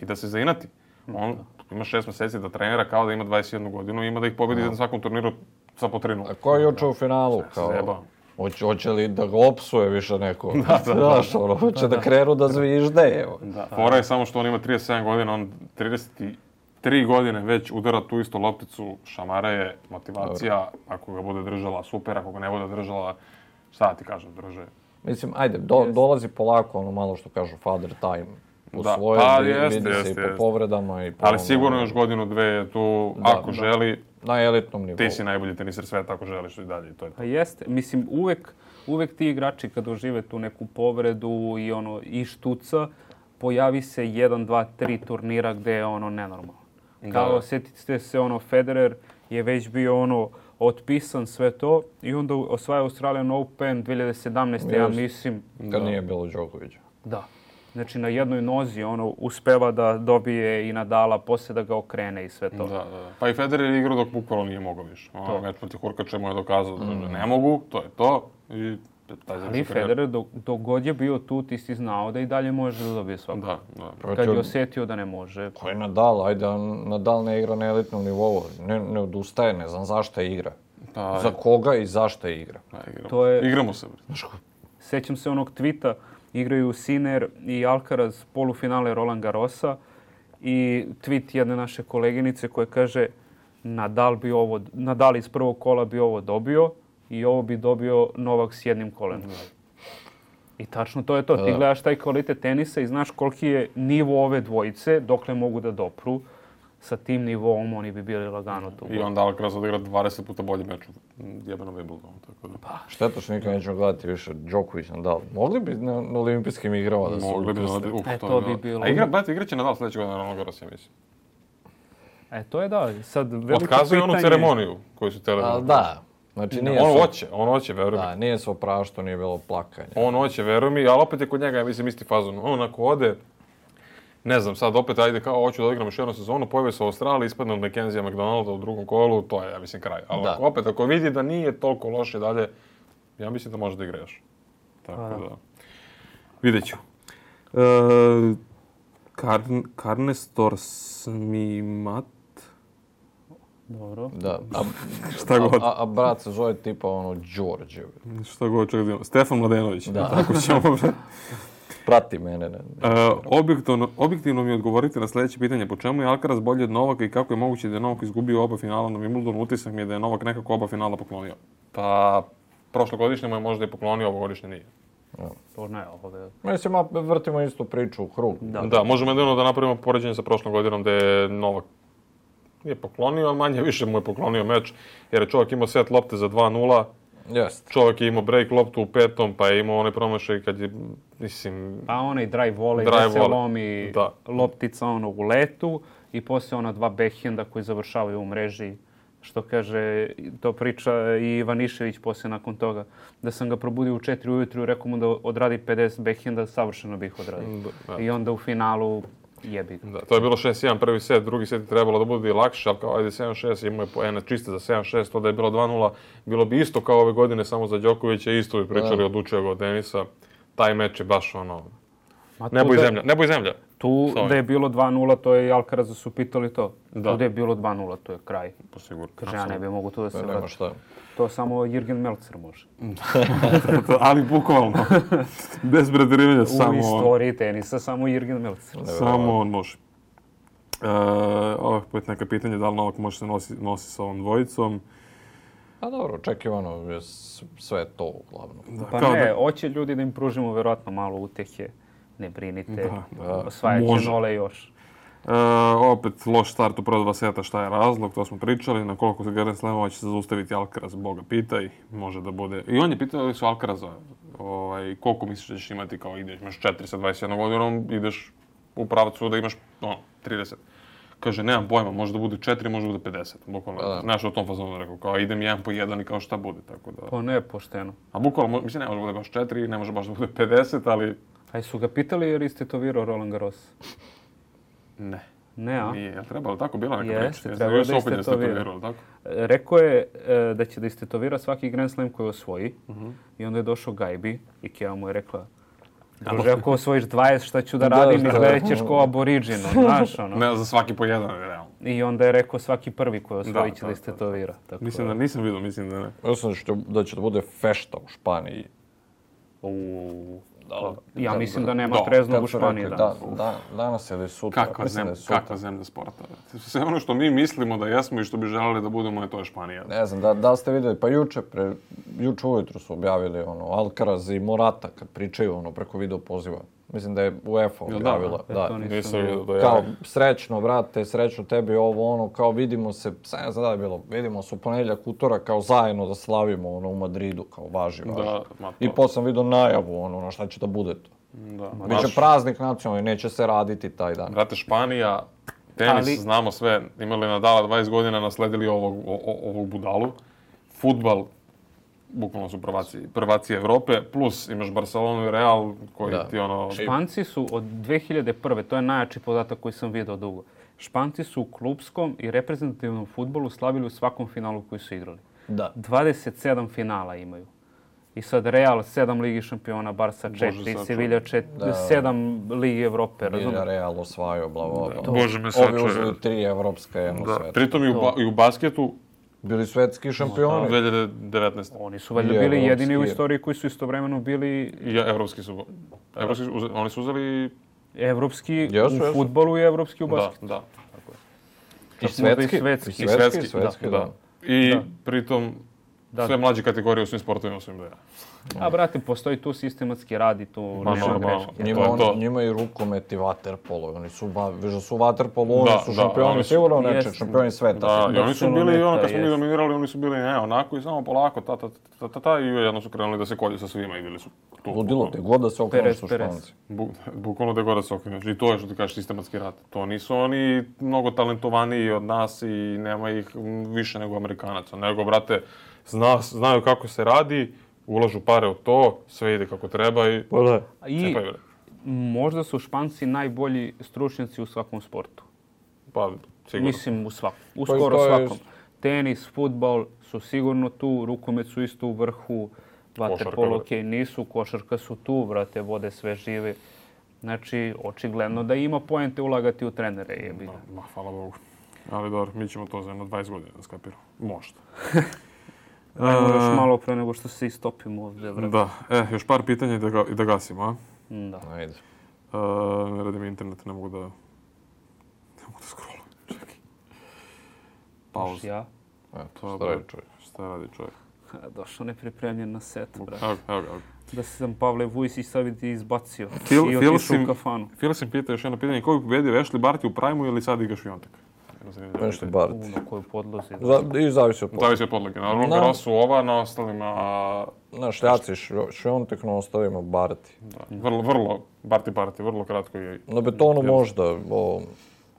i da se zainati. On ima 6 mjeseci da trenira kao da ima 21 godinu i ima da ih pobedi na svakom turniru sa po 3-0. A ko je juče u finalu? Hoće li da ga opsuje više neko? Znaš, hoće da krenu da zvižde, evo. Fora je samo što on ima 37 godina, on 33 godine već udara tu istu lopticu, šamara je motivacija, ako ga bude držala super, ako ga ne bude držala, šta ti kažem, drže. Mislim, ajde, dolazi polako ono malo što kažu father time. U svoje, vidi se i po povredama i po... Ali sigurno još godinu, dve je tu, ako želi... Na elitnom nivou. Ti si najbolji teniser sveta ako želiš i dalje, to je to. Pa jeste, mislim, uvek ti igrači kad dožive tu neku povredu i štuca, pojavi se 1, 2, 3 turnira gde je ono nenormalno. Kao, sjetite se, Federer je već bio otpisan sve to i onda osvaja Australian Open 2017. Ja mislim... Kad nije bilo Đokovića. Da. Znači, na jednoj nozi uspeva da dobije i Nadala, poslije da ga okrene i sve to. Da. Pa i Federer je igrao dok bukvalno nije mogao više. Meč protiv Hurkača mu je dokazao da ne mogu, to je to. Ali Federer, dok god je bio tu, ti si znao da i dalje može da dobije svako. Da. Kad je osjetio da ne može. Ko je Nadal? Ajde, Nadal ne igra na elitnom nivou. Ne odustaje, ne znam zašto igra. Za koga i zašto igra. Igramo se. Sjećam se onog tvita, igraju Sinner i Alcaraz polufinale Roland Garrosa i tweet jedne naše koleginice koja kaže Nadal iz prvog kola bi ovo dobio i ovo bi dobio Novak s jednim kolenom. I tačno to je to. Ti gledaš taj kvalitet tenisa i znaš koliki je nivo ove dvojice, dokle mogu da dopru. Sa tim nivom oni bi bili lagano tu. I onda Alcaraz odigra 20 puta bolji meč u jebenom Wimbledonu. Šteta što nikad nećemo gledati više Đoković, Nadal. Mogli bi na olimpijskim igrama da se... Mogli bi da... To bi bilo... A igraće Nadal sljedeće godine na Roland Garros, ja mislim. To je da. Sad veliko pitanje... Otkazuje onu ceremoniju koju su tele... Da. Znači, on hoće, veruj mi. Da, nije se opraštao, nije bilo plakanja. On hoće, veruj mi, ali opet je kod njega, ja mislim, isti fazon. On ako ode, ne znam, sad opet ajde kao hoću da igram još jednu sezonu, pojavi se u Australiji, ispadne od Mackenzija McDonalda u drugom kolu, to je, ja mislim, kraj. Ali ako vidi da nije toliko loše dalje, ja mislim da može da igra još. Tako da. Vidjet ću. Karnestor Smimat. Dobro. Da. Šta god. A brat se zove tipa Đorđe. Šta god, čekaj da imamo. Stefan Mladenović. Da. Tako ćemo. Prati mene. Objektivno mi odgovorite na sljedeće pitanje. Po čemu je Alcaraz bolji od Novaka i kako je moguće da je Novak izgubio oba finala na Wimbledonu? Utisak mi je da je Novak nekako oba finala poklonio. Pa, prošlogodišnje mu je možda i poklonio, ovogodišnje nije. To ne, Mislim, vrtimo istu priču u krug. Da, možemo jedino da napravimo poređenje sa prošlom godinom da je Novak nije poklonio, ali manje više mu je poklonio meč, jer je čovjek imao set lopte za 2-0. Jest. Čovjek je imao break loptu u 5. pa je imao onaj promašaj kad je, mislim... Pa onaj drive volley gdje se lomi loptica u letu i poslije ona 2 backhanda koji završavaju u mreži. Što kaže, to priča i Ivanišević poslije nakon toga. Da sam ga probudio u 4 ujutru i rekao mu da odradi 50 backhanda, savršeno bih odradio. I onda u finalu jebi ga. Da, to je bilo 6-1 prvi set, drugi set je trebalo da bude i lakše, ali kao ajde 7-6, imao je poena čiste za 7-6, to da je bilo 2-0, bilo bi isto kao ove godine samo za Đokovića, isto bi pričali odlučio ga od tenisa. Taj meč je baš ono, nebo i zemlja. Tu da je bilo 2-0, to je i Alcaraza su pitali to. Tu da je bilo 2-0, to je kraj. Sigurno. Kaže, ja ne bi mogu tu da se nema šta. To samo Jürgen Melzer može. Ali bukvalno, bez preterivanja, samo... U istoriji tenisa, samo Jürgen Melzer. Samo on može. Opet neka pitanje, da li Novak može se nosi sa ovom dvojicom? A dobro, očekivano je sve to uglavnom. Pa ne, hoće ljudi da im pružimo vjerojatno malo utjehe. Ne brinite, osvajat će nole još. Opet loš start u prva 2 seta, šta je razlog, to smo pričali. Na koliko se Grand Slamova će se zaustaviti Alcaraz, Boga pitaj. Može da bude... I on je pitao li su Alcaraza, koliko misliš da ćeš imati kao ideš, imaš 4 sa 21 godinom, ideš u pravcu da imaš 30. Kaže, nemam pojma, može da bude 4, može da bude 50. Bukvalno, znaš o tom fazonu rekao, kao idem 1 po 1 i kao šta bude, tako da... Pa ne, pošteno. A bukvalno, mislim, ne može da bude baš 4, ne može baš da bude 50, ali... A su ga pitali jer istetovirao Roland Garros? Ne. Ne, a? Nije, je trebalo tako? Bila neka Jeste, priča? trebalo da istetovirao. Rekao je da će da istetovira svaki Grand Slam koji osvoji. I onda je došao Gajbi i Keva mu je rekla, druže, ako osvojiš 20, šta ću da radim? Izgledat ćeš ko aboriđino, znaš ono. Ne, za svaki po jedan, realno. I onda je rekao svaki prvi koji osvoji će da istetovira. Mislim da nisam vidio, mislim da ne. Mislim da će da bude fešta u Španiji. Ja mislim da nema treznog u Španiji danas. Danas ili sutra. Kakva zemlja sporta. Sve ono što mi mislimo da jesmo i što bi želeli da budemo, to je Španija. Ne znam, da ste vidjeli, pa juče ujutru su objavili Alcaraz i Morata kad pričaju preko video poziva. Mislim da je UEFA objavila. Kao, srećno, brate, srećno tebi ovo, kao vidimo se, ne znam da je bilo, vidimo se u ponedjeljak, utorak, kao zajedno da slavimo u Madridu, kao važi. I posle sam vidio najavu, na šta će da bude to. Biće praznik nacionalni, neće se raditi taj dan. Brate, Španija, tenis, znamo sve, imali Nadala 20 godina, nasledili ovog budalu. Fudbal, bukvalno su prvaci Evrope, plus imaš Barcelonu i Real koji ti Španci su od 2001. To je najjači podatak koji sam vidio dugo. Španci su u klupskom i reprezentativnom fudbalu slavili u svakom finalu koji su igrali. 27 finala imaju. I sad Real 7 Ligi šampiona, Barca 4, Sevilla 7 Ligi Evrope, razumiješ? Real osvajao, bla. Bože me sačuje. Ovi uzeli 3 evropska, jedno svetska. Pritom i u basketu bili svetski šampioni. 2019. Oni su valjda bili jedini u istoriji koji su istovremeno bili... Evropski su. Oni su uzeli... Evropski u fudbalu i evropski u basketu. Da. I svetski, da. I pritom sve mlađe kategorije u svim sportovima su im da ja. A brate, postoji tu sistematski rad i tu nema greške. Njima i rukomet i vaterpolo. Oni su, viš da su vaterpolo, oni su šampioni sigurno nečeg, šampioni sveta. Da, i oni su bili, kad smo mi dominirali, oni su bili onako i samo polako, i jedno su krenuli da se kolju sa svima i bili su tu. Ludilo, te god da se okrenu su Španci. Bukvalno te god da se okrenu. I to je što ti kažeš sistematski rad. To nisu oni mnogo talentovaniji od nas i nema ih više nego Amerikanaca. Nego, brate, znaju kako se radi, ulažu pare u to, sve ide kako treba i... I možda su Španci najbolji stručnjaci u svakom sportu. Pa, sigurno. Mislim u svakom. U skoro svakom. Tenis, fudbal su sigurno tu, rukomet su isto u vrhu, vaterpolo nisu, košarka su tu, brate, vode sve žive. Znači, očigledno da ima poente ulagati u trenere, jebi. Hvala Bogu. Ali dobro, mi ćemo to za jedno 20 godina da skapiramo. Možda. Ajmo još malo pre nego što se istopimo ovdje. Da, još par pitanja i da gasimo, a? Da. Ajde. Ne radi mi internet, ne mogu da scrollujem. Čekaj. Pauza. Ja? Šta radi čovjek? Došao nepripremljen na set, brate. Evo. Da sam Pavle Vujsić sad ti izbacio. I otišao u kafanu. Filsim pita još jedno pitanje. Ko bi pobedio, Ashley Barty u Prime-u ili sad igraš Viontek? Nešto Barty. Na koju podlozi. I zavisi od podloge. Zavisi od podloge. Na Roland Garrosu ova, na ostalima... Na šljaci Šviontek, na ostalima Barty. Da. Vrlo, Barty, vrlo kratko je... Na betonu možda, o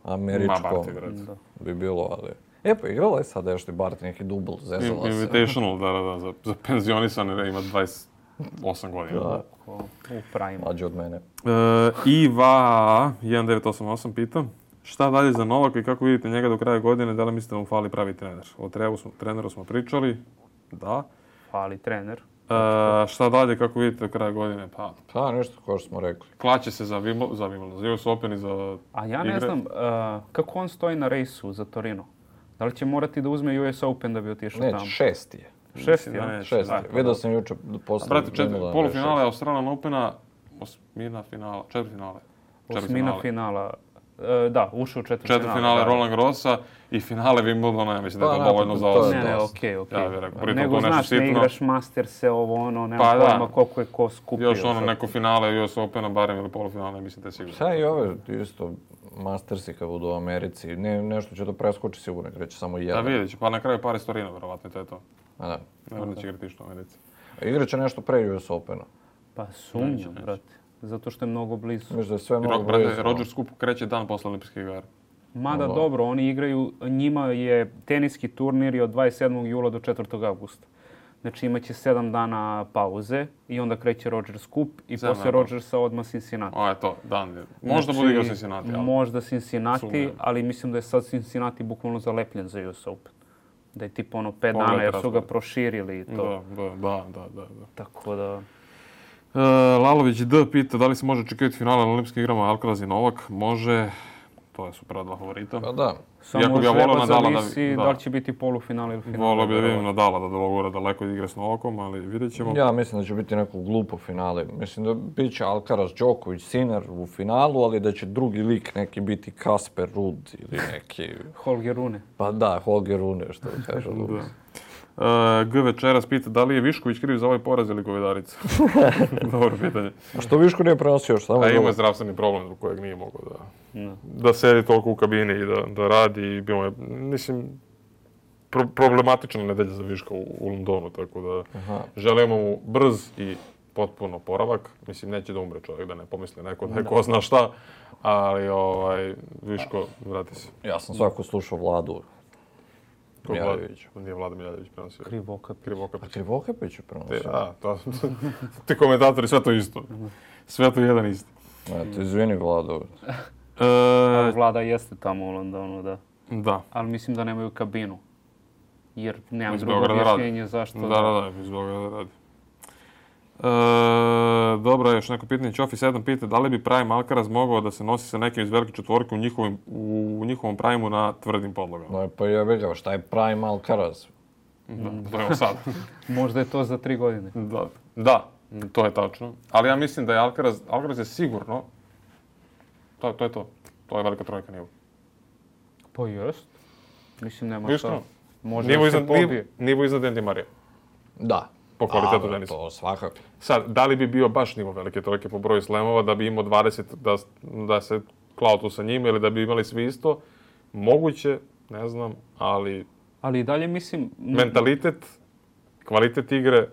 američkom Barty, vjerojatno. bi bilo, ali... Pa igrala je sad nešto i Barty, neki dubl, zezala se. Invitational, da, za penzionisane ima 28 godina. Da. U prime. Mlađe od mene. Iva 1988 pita, šta dalje za Novaka i kako vidite njega do kraja godine, da li mislite da mu fali pravi trener? O treneru smo pričali, da. Fali trener. Šta dalje, kako vidite do kraja godine? Pa nešto kao što smo rekli. Klaće se za US Open i za A ja ne znam kako on stoji na rejsu za Torino. Da li će morati da uzme US Open da bi otišao tamo? Neće, 6. je. 6. je? 6. Vidio sam jučer posle. Brate, polufinale Australian Opena, osmina finala, četvrtfinale. Osmina finala. Da, ušao u četvrtfinale Roland Garrosa i finale Wimbledona, ja mislim da je to dovoljno za osam. Ne, okej. Ja bih rekao, Nego znaš, ne igraš Masterse, ovo, ono, nema pojma koliko je ko skupio. Još ono neko finale US Opena, barem ili polufinale, mislim da je sigurno. Sad i ove isto Mastersi kad budu u Americi, nešto će to preskoči sigurno, kreće samo jedan. Da vidjet će, pa na kraju Paris Torino, verovatno, to je to. A da. Ne će igrati što u Americi. Igrat će nešto pre US Opena. Pa sumnjam, brate. Zato što je mnogo blizu. Mislim da je sve mnogo blizu. Rogers Cup kreće dan posle olimpijskih igara. Mada dobro, oni igraju, njima je teniski turnir od 27. jula do 4. augusta. Znači imaće 7 dana pauze i onda kreće Rogers Cup i posle Rogersa odmah Cincinnati. O, je to, dan. Možda bude igrao Cincinnati. Možda Cincinnati, ali mislim da je sad Cincinnati bukvalno zalepljen za US Open. Da je tipa 5 dana jer su ga proširili i to. Da. Tako da... Lalović D pita da li se može očekivati finale na olimpijskim igrama Alcaraz i Novak. Može, to su prva dva favorita. Pa da. Samo treba zavisi da li će biti polufinale ili finale. Volio bi da vidim Nadala da dologora daleko igre s Novakom, ali vidjet ćemo. Ja mislim da će biti neko glupo finale. Mislim da bit će Alcaraz, Djokovic, Sinner u finalu, ali da će drugi lik neki biti Kasper Ruud ili neki... Holger Rune. Pa da, Holger Rune, što kaže Lukas. G večeras pita da li je Višković kriv za ovaj poraz ili Govedarica? Dobro pitanje. A što Viško nije prenosio još samo? Ima je zdravstveni problem zbog kojeg nije mogao da sedi toliko u kabini i da radi. I bio je, mislim, problematična nedelja za Viška u Londonu, tako da želimo mu brz i potpuno oporavak. Mislim, neće da umre čovjek, da ne pomisli neko da je ko zna šta, ali Viško, vrati se. Ja sam svako slušao Vladu. Miljadović. Nije Vlada Miljadović prenosio. Krivokapić je prenosio. Da, ti komentatori, sve to isto. Sve to jedan isti. Eto, izvini Vlado. Vlada jeste tamo u Londonu, da. Da. Ali mislim da nemaju kabinu. Jer nemam drugo objašnjenje zašto. Da, iz Beograda radi. Dobro, još neko pitanje. Ćofi 7 pita da li bi Prime Alcaraz mogao da se nosi sa nekim iz velike četvorke u njihovom Prime-u na tvrdim podlogama. No, pa ja vidio, šta je Prime Alcaraz? To je sad. Možda je to za 3 godine. Da, to je tačno. Ali ja mislim da je Alcaraz je sigurno, to je to. To je velika trojka nivo. Pa jest. Mislim, nema šta. Može da se pobije. Nivo iznad Andy Murray. Da. Po kvalitetu tenisa. To svakako. Sad, da li bi bio baš nivo velike trojke po broju slemova, da bi imao 20, da se klao tu sa njima ili da bi imali svi isto? Moguće, ne znam, ali... Ali i dalje mislim... Mentalitet, kvalitet igre,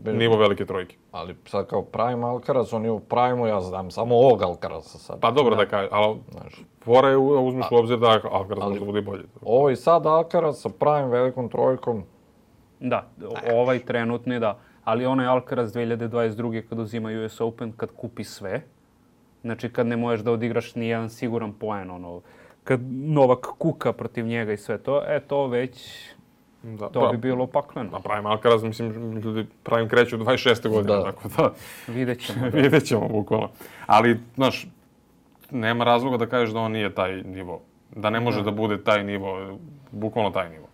nivo velike trojke. Ali sad kao Prime Alcaraz, on je u Prime-u, ja znam samo ovog Alcaraza sad. Pa dobro da kažem, ali fora je uzmeš u obzir da Alcaraz može da bude bolje. Ovo i sad Alcaraz sa Prime velikom trojkom. Da, ovaj trenutni da. Ali onaj Alcaraz 2022. kad uzima US Open, kad kupi sve, znači kad ne možeš da odigraš ni jedan siguran poen, kad Novak kuka protiv njega i sve to, to već, to bi bilo pakleno. A Prime Alcaraz, mislim, ljudi Prime kreću 26. godine, tako da... Vidjet ćemo, bukvalno. Ali, znaš, nema razloga da kažeš da on nije taj nivo. Da ne može da bude taj nivo, bukvalno taj nivo.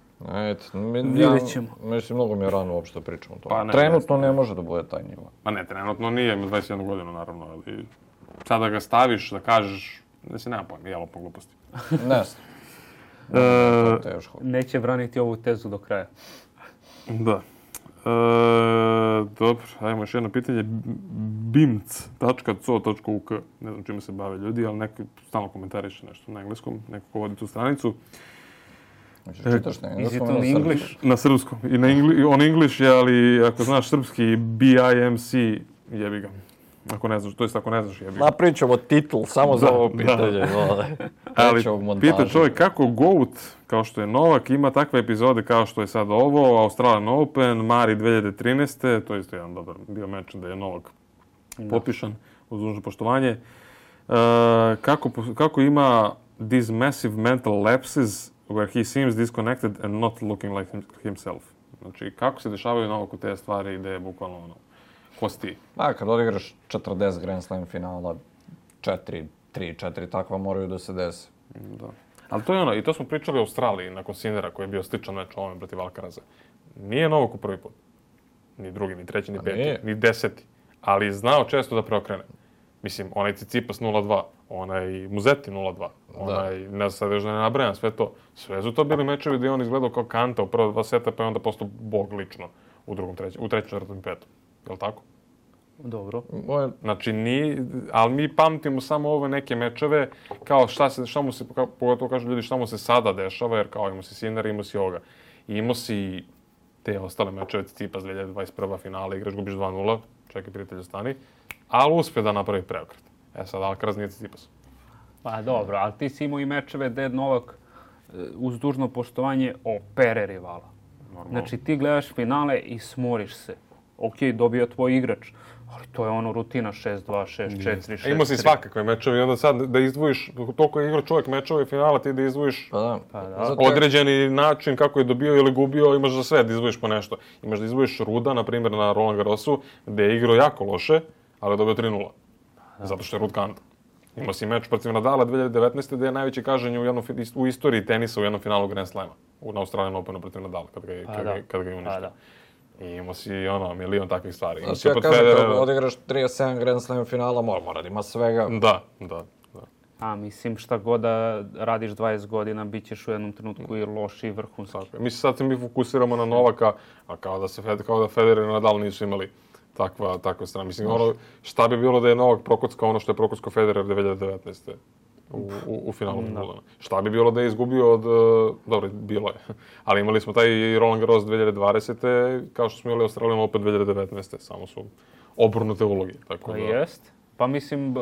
Vidjet ćemo. Mislim, mnogo mi je rano uopšte da pričam o tome. Trenutno ne može da bude taj nivo. Pa ne, trenutno nije, ima 21 godinu, naravno, ali sada ga staviš, da kažeš, da se nema pojma, jelo po gluposti. Ne znam. Neće braniti ovu tezu do kraja. Da. Dobro, ajmo još jedno pitanje. bimc.co.uk. Ne znam čime se bave ljudi, ali neki stalno komentariše nešto na engleskom, neko ko vodi tu stranicu. Čitaš na Is it engleskom on ili na English? srpskom? Na srpskom. I on English je, ali ako znaš srpski, BIMC, jebi ga. Ako ne znaš, to jest ako ne znaš, jebi ga. Napravit ćemo titl samo za ovo Da. pitanje. Ali pita čovjek kako GOAT, kao što je Novak, ima takve epizode kao što je sad ovo, Australian Open, Mari 2013. To je isto jedan dobar bio meč da je Novak potpišan, uz dužno poštovanje. Kako ima these massive mental lapses where he seems disconnected and not looking like himself. Znači, kako se dešavaju Novaku te stvari gde je bukvalno ono, ko si ti? Kad odigraš 40 Grand Slam finala, 3-4 takva moraju da se desi. Da. Ali to je ono, i to smo pričali u Australiji nakon Sinera koji je bio sličan meč ovome protiv Alcaraza. Nije Novak u prvi put. Ni drugi, ni treći, ni peti, nije. ni 10. Ali je znao često da preokrene. Mislim, onaj Tsitsipas 0-2, onaj Musetti 0-2, onaj, ne znam sad još da ne nabrajam sve to. Sve su to bili mečevi gdje je on izgledao kao Kanta u prva 2 seta, pa je onda postao bog lično u trećem, četvrtom i petom. Je li tako? Dobro. Znači, ali mi pamtimo samo ove neke mečeve, kao šta mu se, pogotovo kažu ljudi, šta mu se sada dešava, jer kao imao si Sinner, imao si ovoga. I imao si te ostale mečeve, Tsitsipas 2021. finale, igraš, gubiš 2-0, čekaj prijatelju stani, ali uspije da napravi preokret. Sad Alcaraz nije Tsitsipas. Pa dobro, ali ti si imao i mečeve gde Novak uz dužno poštovanje opere rivala. Normalno. Znači ti gledaš finale i smoriš se. Ok, dobio tvoj igrač, ali to je ono rutina 6-2, 6-4, 6-3. Imao si svakakve mečeve i onda sad da izdvojiš, toliko je igrao čovjek mečeve i finala, ti da izdvojiš određeni način kako je dobio ili gubio, imaš za sve da izdvojiš po nešto. Imaš da izdvojiš Ruda, na primjer na Roland Garrosu, gde je igrao jako loše, ali je dobio 3-0. Zato što je Rud Kanta. Imao si meč protiv Nadala 2019. gde je najveći kažnjen u istoriji tenisa u jednom finalu Grand Slama. Na Australian Openu protiv Nadala, kad ga je uništio. I imao si milion takvih stvari. Znači, ja kažem, kada odigraš 37 Grand Slam finala, mora da ima svega. Da. A mislim, šta god da radiš 20 godina, bit ćeš u jednom trenutku i loš i vrhunski. Mislim, sad se mi fokusiramo na Novaka, a kao da Federer i Nadal nisu imali takve strane. Mislim, šta bi bilo da je Novak prokockao ono što je prokockao Federer 2019. u finalu Wimbledona. Šta bi bilo da je izgubio od... Dobro, bilo je. Ali imali smo taj Roland Garros 2020. kao što smo imali Australian Open 2019. Samo su obrnute uloge. Pa jest. Pa mislim,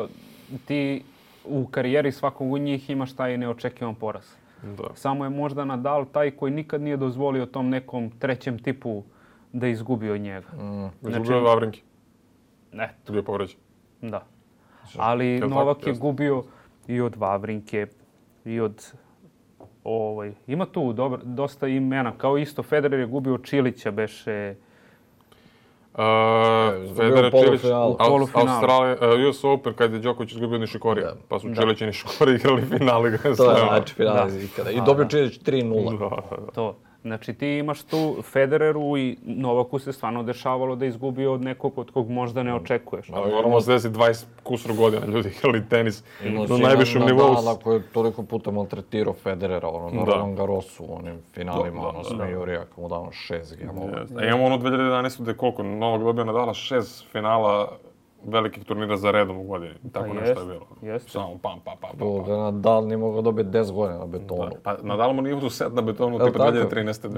ti u karijeri svakog od njih imaš taj neočekivan poraz. Da. Samo je možda Nadal taj koji nikad nije dozvolio tom nekom trećem tipu da izgubi od njega. Izgubio je Vavrinki. Eto. Bio povređen. Da. Ali Novak je gubio i od Vavrinke, i od... Ima tu dosta imena. Kao isto, Federer je gubio od Čilića, beše... Federer, Čilić, Australija, US Open, kad je Đoković izgubio od Nišikorija. Pa su Čilić i Nišikori igrali finale. To je znači finale ikada. I dobio Čilić 3-0. To. Znači ti imaš tu Federeru i Novaku se stvarno dešavalo da izgubi od nekog od kog možda ne očekuješ. Moramo se desiti 20 kusur godina ljudi igrali tenis na najvišem nivou. Nadala koji je toliko puta maltretirao Federera, na Roland Garrosu, u onim finalima, s Majorija, kao mu dao 6 gemova. Imamo 2011. gde koliko Novak dobio Nadala 6 finala velikih turnira za redom u godini. Tako nešto je bilo. Samo pam. Da Nadal nije mogao dobiti 10 godina na betonu. Pa Nadal mu nije uzeo set na betonu tipa 2013.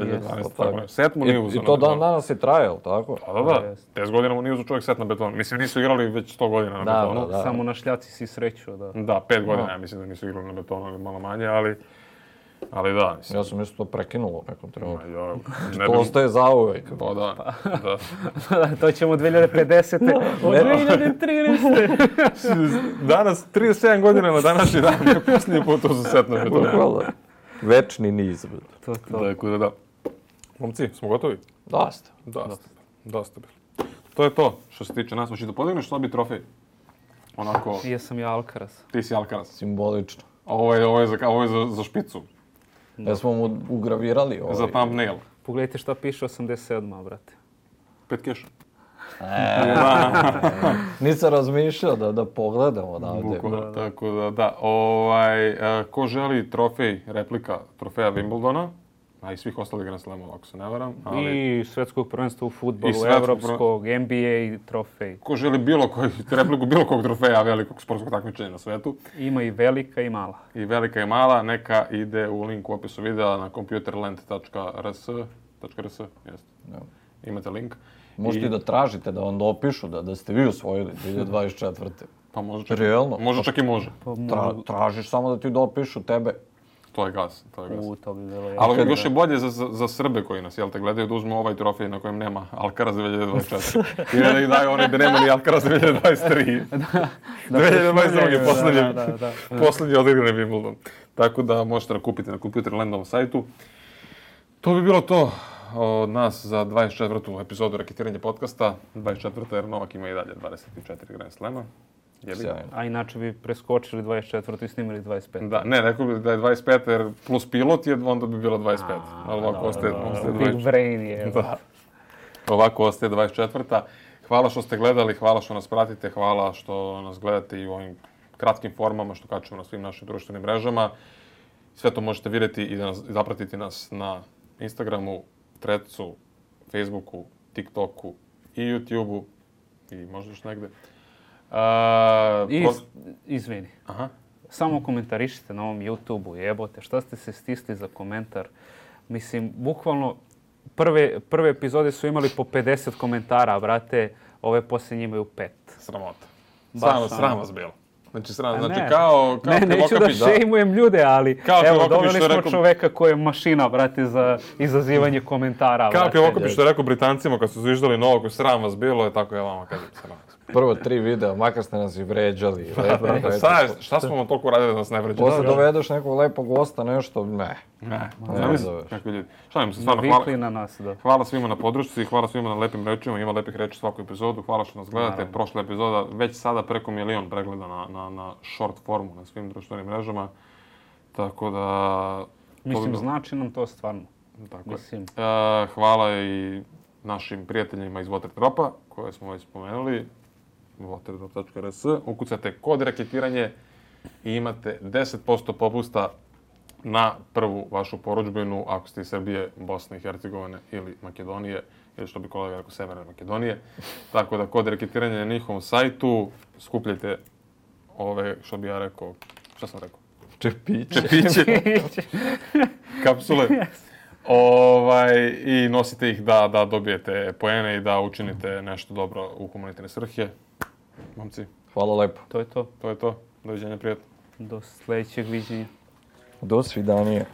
2012. Set mu nije uzeo na betonu. I to dan danas je trajalo, tako? Pa da. 10 godina mu nije uzeo čovjek set na betonu. Mislim, nisu igrali već 100 godina na betonu. Da, samo na šljaci si sreću. Da, 5 godina ja mislim da nisu igrali na betonu ili malo manje, ali da, mislim. Ja sam isto to prekinulo u nekom trenutku. To ostaje zauvek. Pa da. To ćemo 2050. Od 2013. Danas, 37 godina na današnji dan, je posljednji put to za set na betonu. Večni niz. Tako da. Momci, smo gotovi? Dosta. To je to što se tiče nas. Hoćeš da podigneš slabiji trofej? Onako... Jesam ja Alcaraz. Ti si Alcaraz. Simbolično. Ovo je za špicu. Jesmo mu ugravirali ovaj. Za thumbnail. Pogledajte šta piše 87, brate. 5 keša. Nisam razmišljao da pogledamo odavde. Tako da. Ko želi trofej, replika trofeja Wimbledona, a i svih ostalih Grand Slamova, ako se ne varam. Ali I svetskog prvenstva u fudbalu, svetskog evropskog, NBA i trofej. ko želi repliku bilo kog trofeja velikog sportskog takmičenja na svetu, Ima i velika i mala. i velika i mala, neka ide u link u opisu videa na computerland.rs, jeste. Da. Imate link. Možete i da tražite da vam dopišu da ste vi osvojili 2024. Pa može čak, Realno? može čak i može. Tražiš samo da ti dopišu tebe. To je gas. To bi bilo Ali još je bolje za Srbe koji nas, jel te, gledaju da uzmu ovaj trofej na kojem nema Alcaraz 2024. I ne da ih daju onaj da nema ni Alcaraz 2023. 2022 je posljednji odigrani Wimbledon. Tako da možete da kupite na Computerlandovom sajtu. To bi bilo to od nas za 24. epizodu Raketiranje podcasta. 24. jer Novak ima i dalje 24 Grand Slema. Sjajno. A inače bi preskočili 24. i snimili 25. Da, ne, rekao bi da je 25 jer plus pilot je, onda bi bilo 25. Ali ovako ostaje 24. Big brain je. Da. Ovako ostaje 24. Hvala što ste gledali, hvala što nas pratite, hvala što nas gledate i u ovim kratkim formama što kačemo na svim našim društvenim mrežama. Sve to možete vidjeti i da zapratiti nas na Instagramu, Threadsu, Facebooku, TikToku i YouTubeu i možda još negde. Izvini. Aha. Samo komentarišite na ovom YouTube-u, jebote, šta ste se stisli za komentar? Mislim, bukvalno, prve epizode su imali po 50 komentara, brate, ove posljednje imaju 5. Sramota. Baš Sram vas bilo. Znači, ne. kao Ne, neću da šejmujem ljude, ali Kao evo, Krivokapić doveli što smo rekao- čoveka koji je mašina, brate, za izazivanje komentara, Kao brate. Krivokapić što je rekao Britancima kad su zviždali Novaku, sram vas bilo, je tako ja vama kažem sram vas. Prvo 3 videa, makar ste nas i vređali. Šta smo vam toliko radili da nas ne vređe? Posle dovedeš nekog lepog gosta, nešto, ne. Ne, Ne znam kakvi ljudi. Šalim se, stvarno, Navikli na nas, da. hvala svima na podršci, hvala svima na lepim rečima, ima lepih reči svaku epizodu, hvala što nas gledate. Naravno. Prošla epizoda, već sada preko 1 milion pregleda na short formu na svim društvenim mrežama. Tako da... Mislim, znači nam to stvarno. Tako je. Mislim. Hvala i našim prijateljima iz Waterdropa, koje smo već spomenuli. Waterdrop.rs. Ukucate kod raketiranje i imate 10% popusta na prvu vašu porudžbinu ako ste iz Srbije, Bosne i Hercegovine ili Makedonije, ili što bi kolega rekao Severne Makedonije. Tako da kod raketiranja na njihovom sajtu skupljajte ove, što bi ja rekao, šta sam rekao? Čepiće. Kapsule. I nosite ih da dobijete poene i da učinite nešto dobro u humanitarne svrhe. Momci, Hvala lepo. To je to. to je to. Doviđenja, prijatno. Do sljedećeg viđenja. Do svidanja.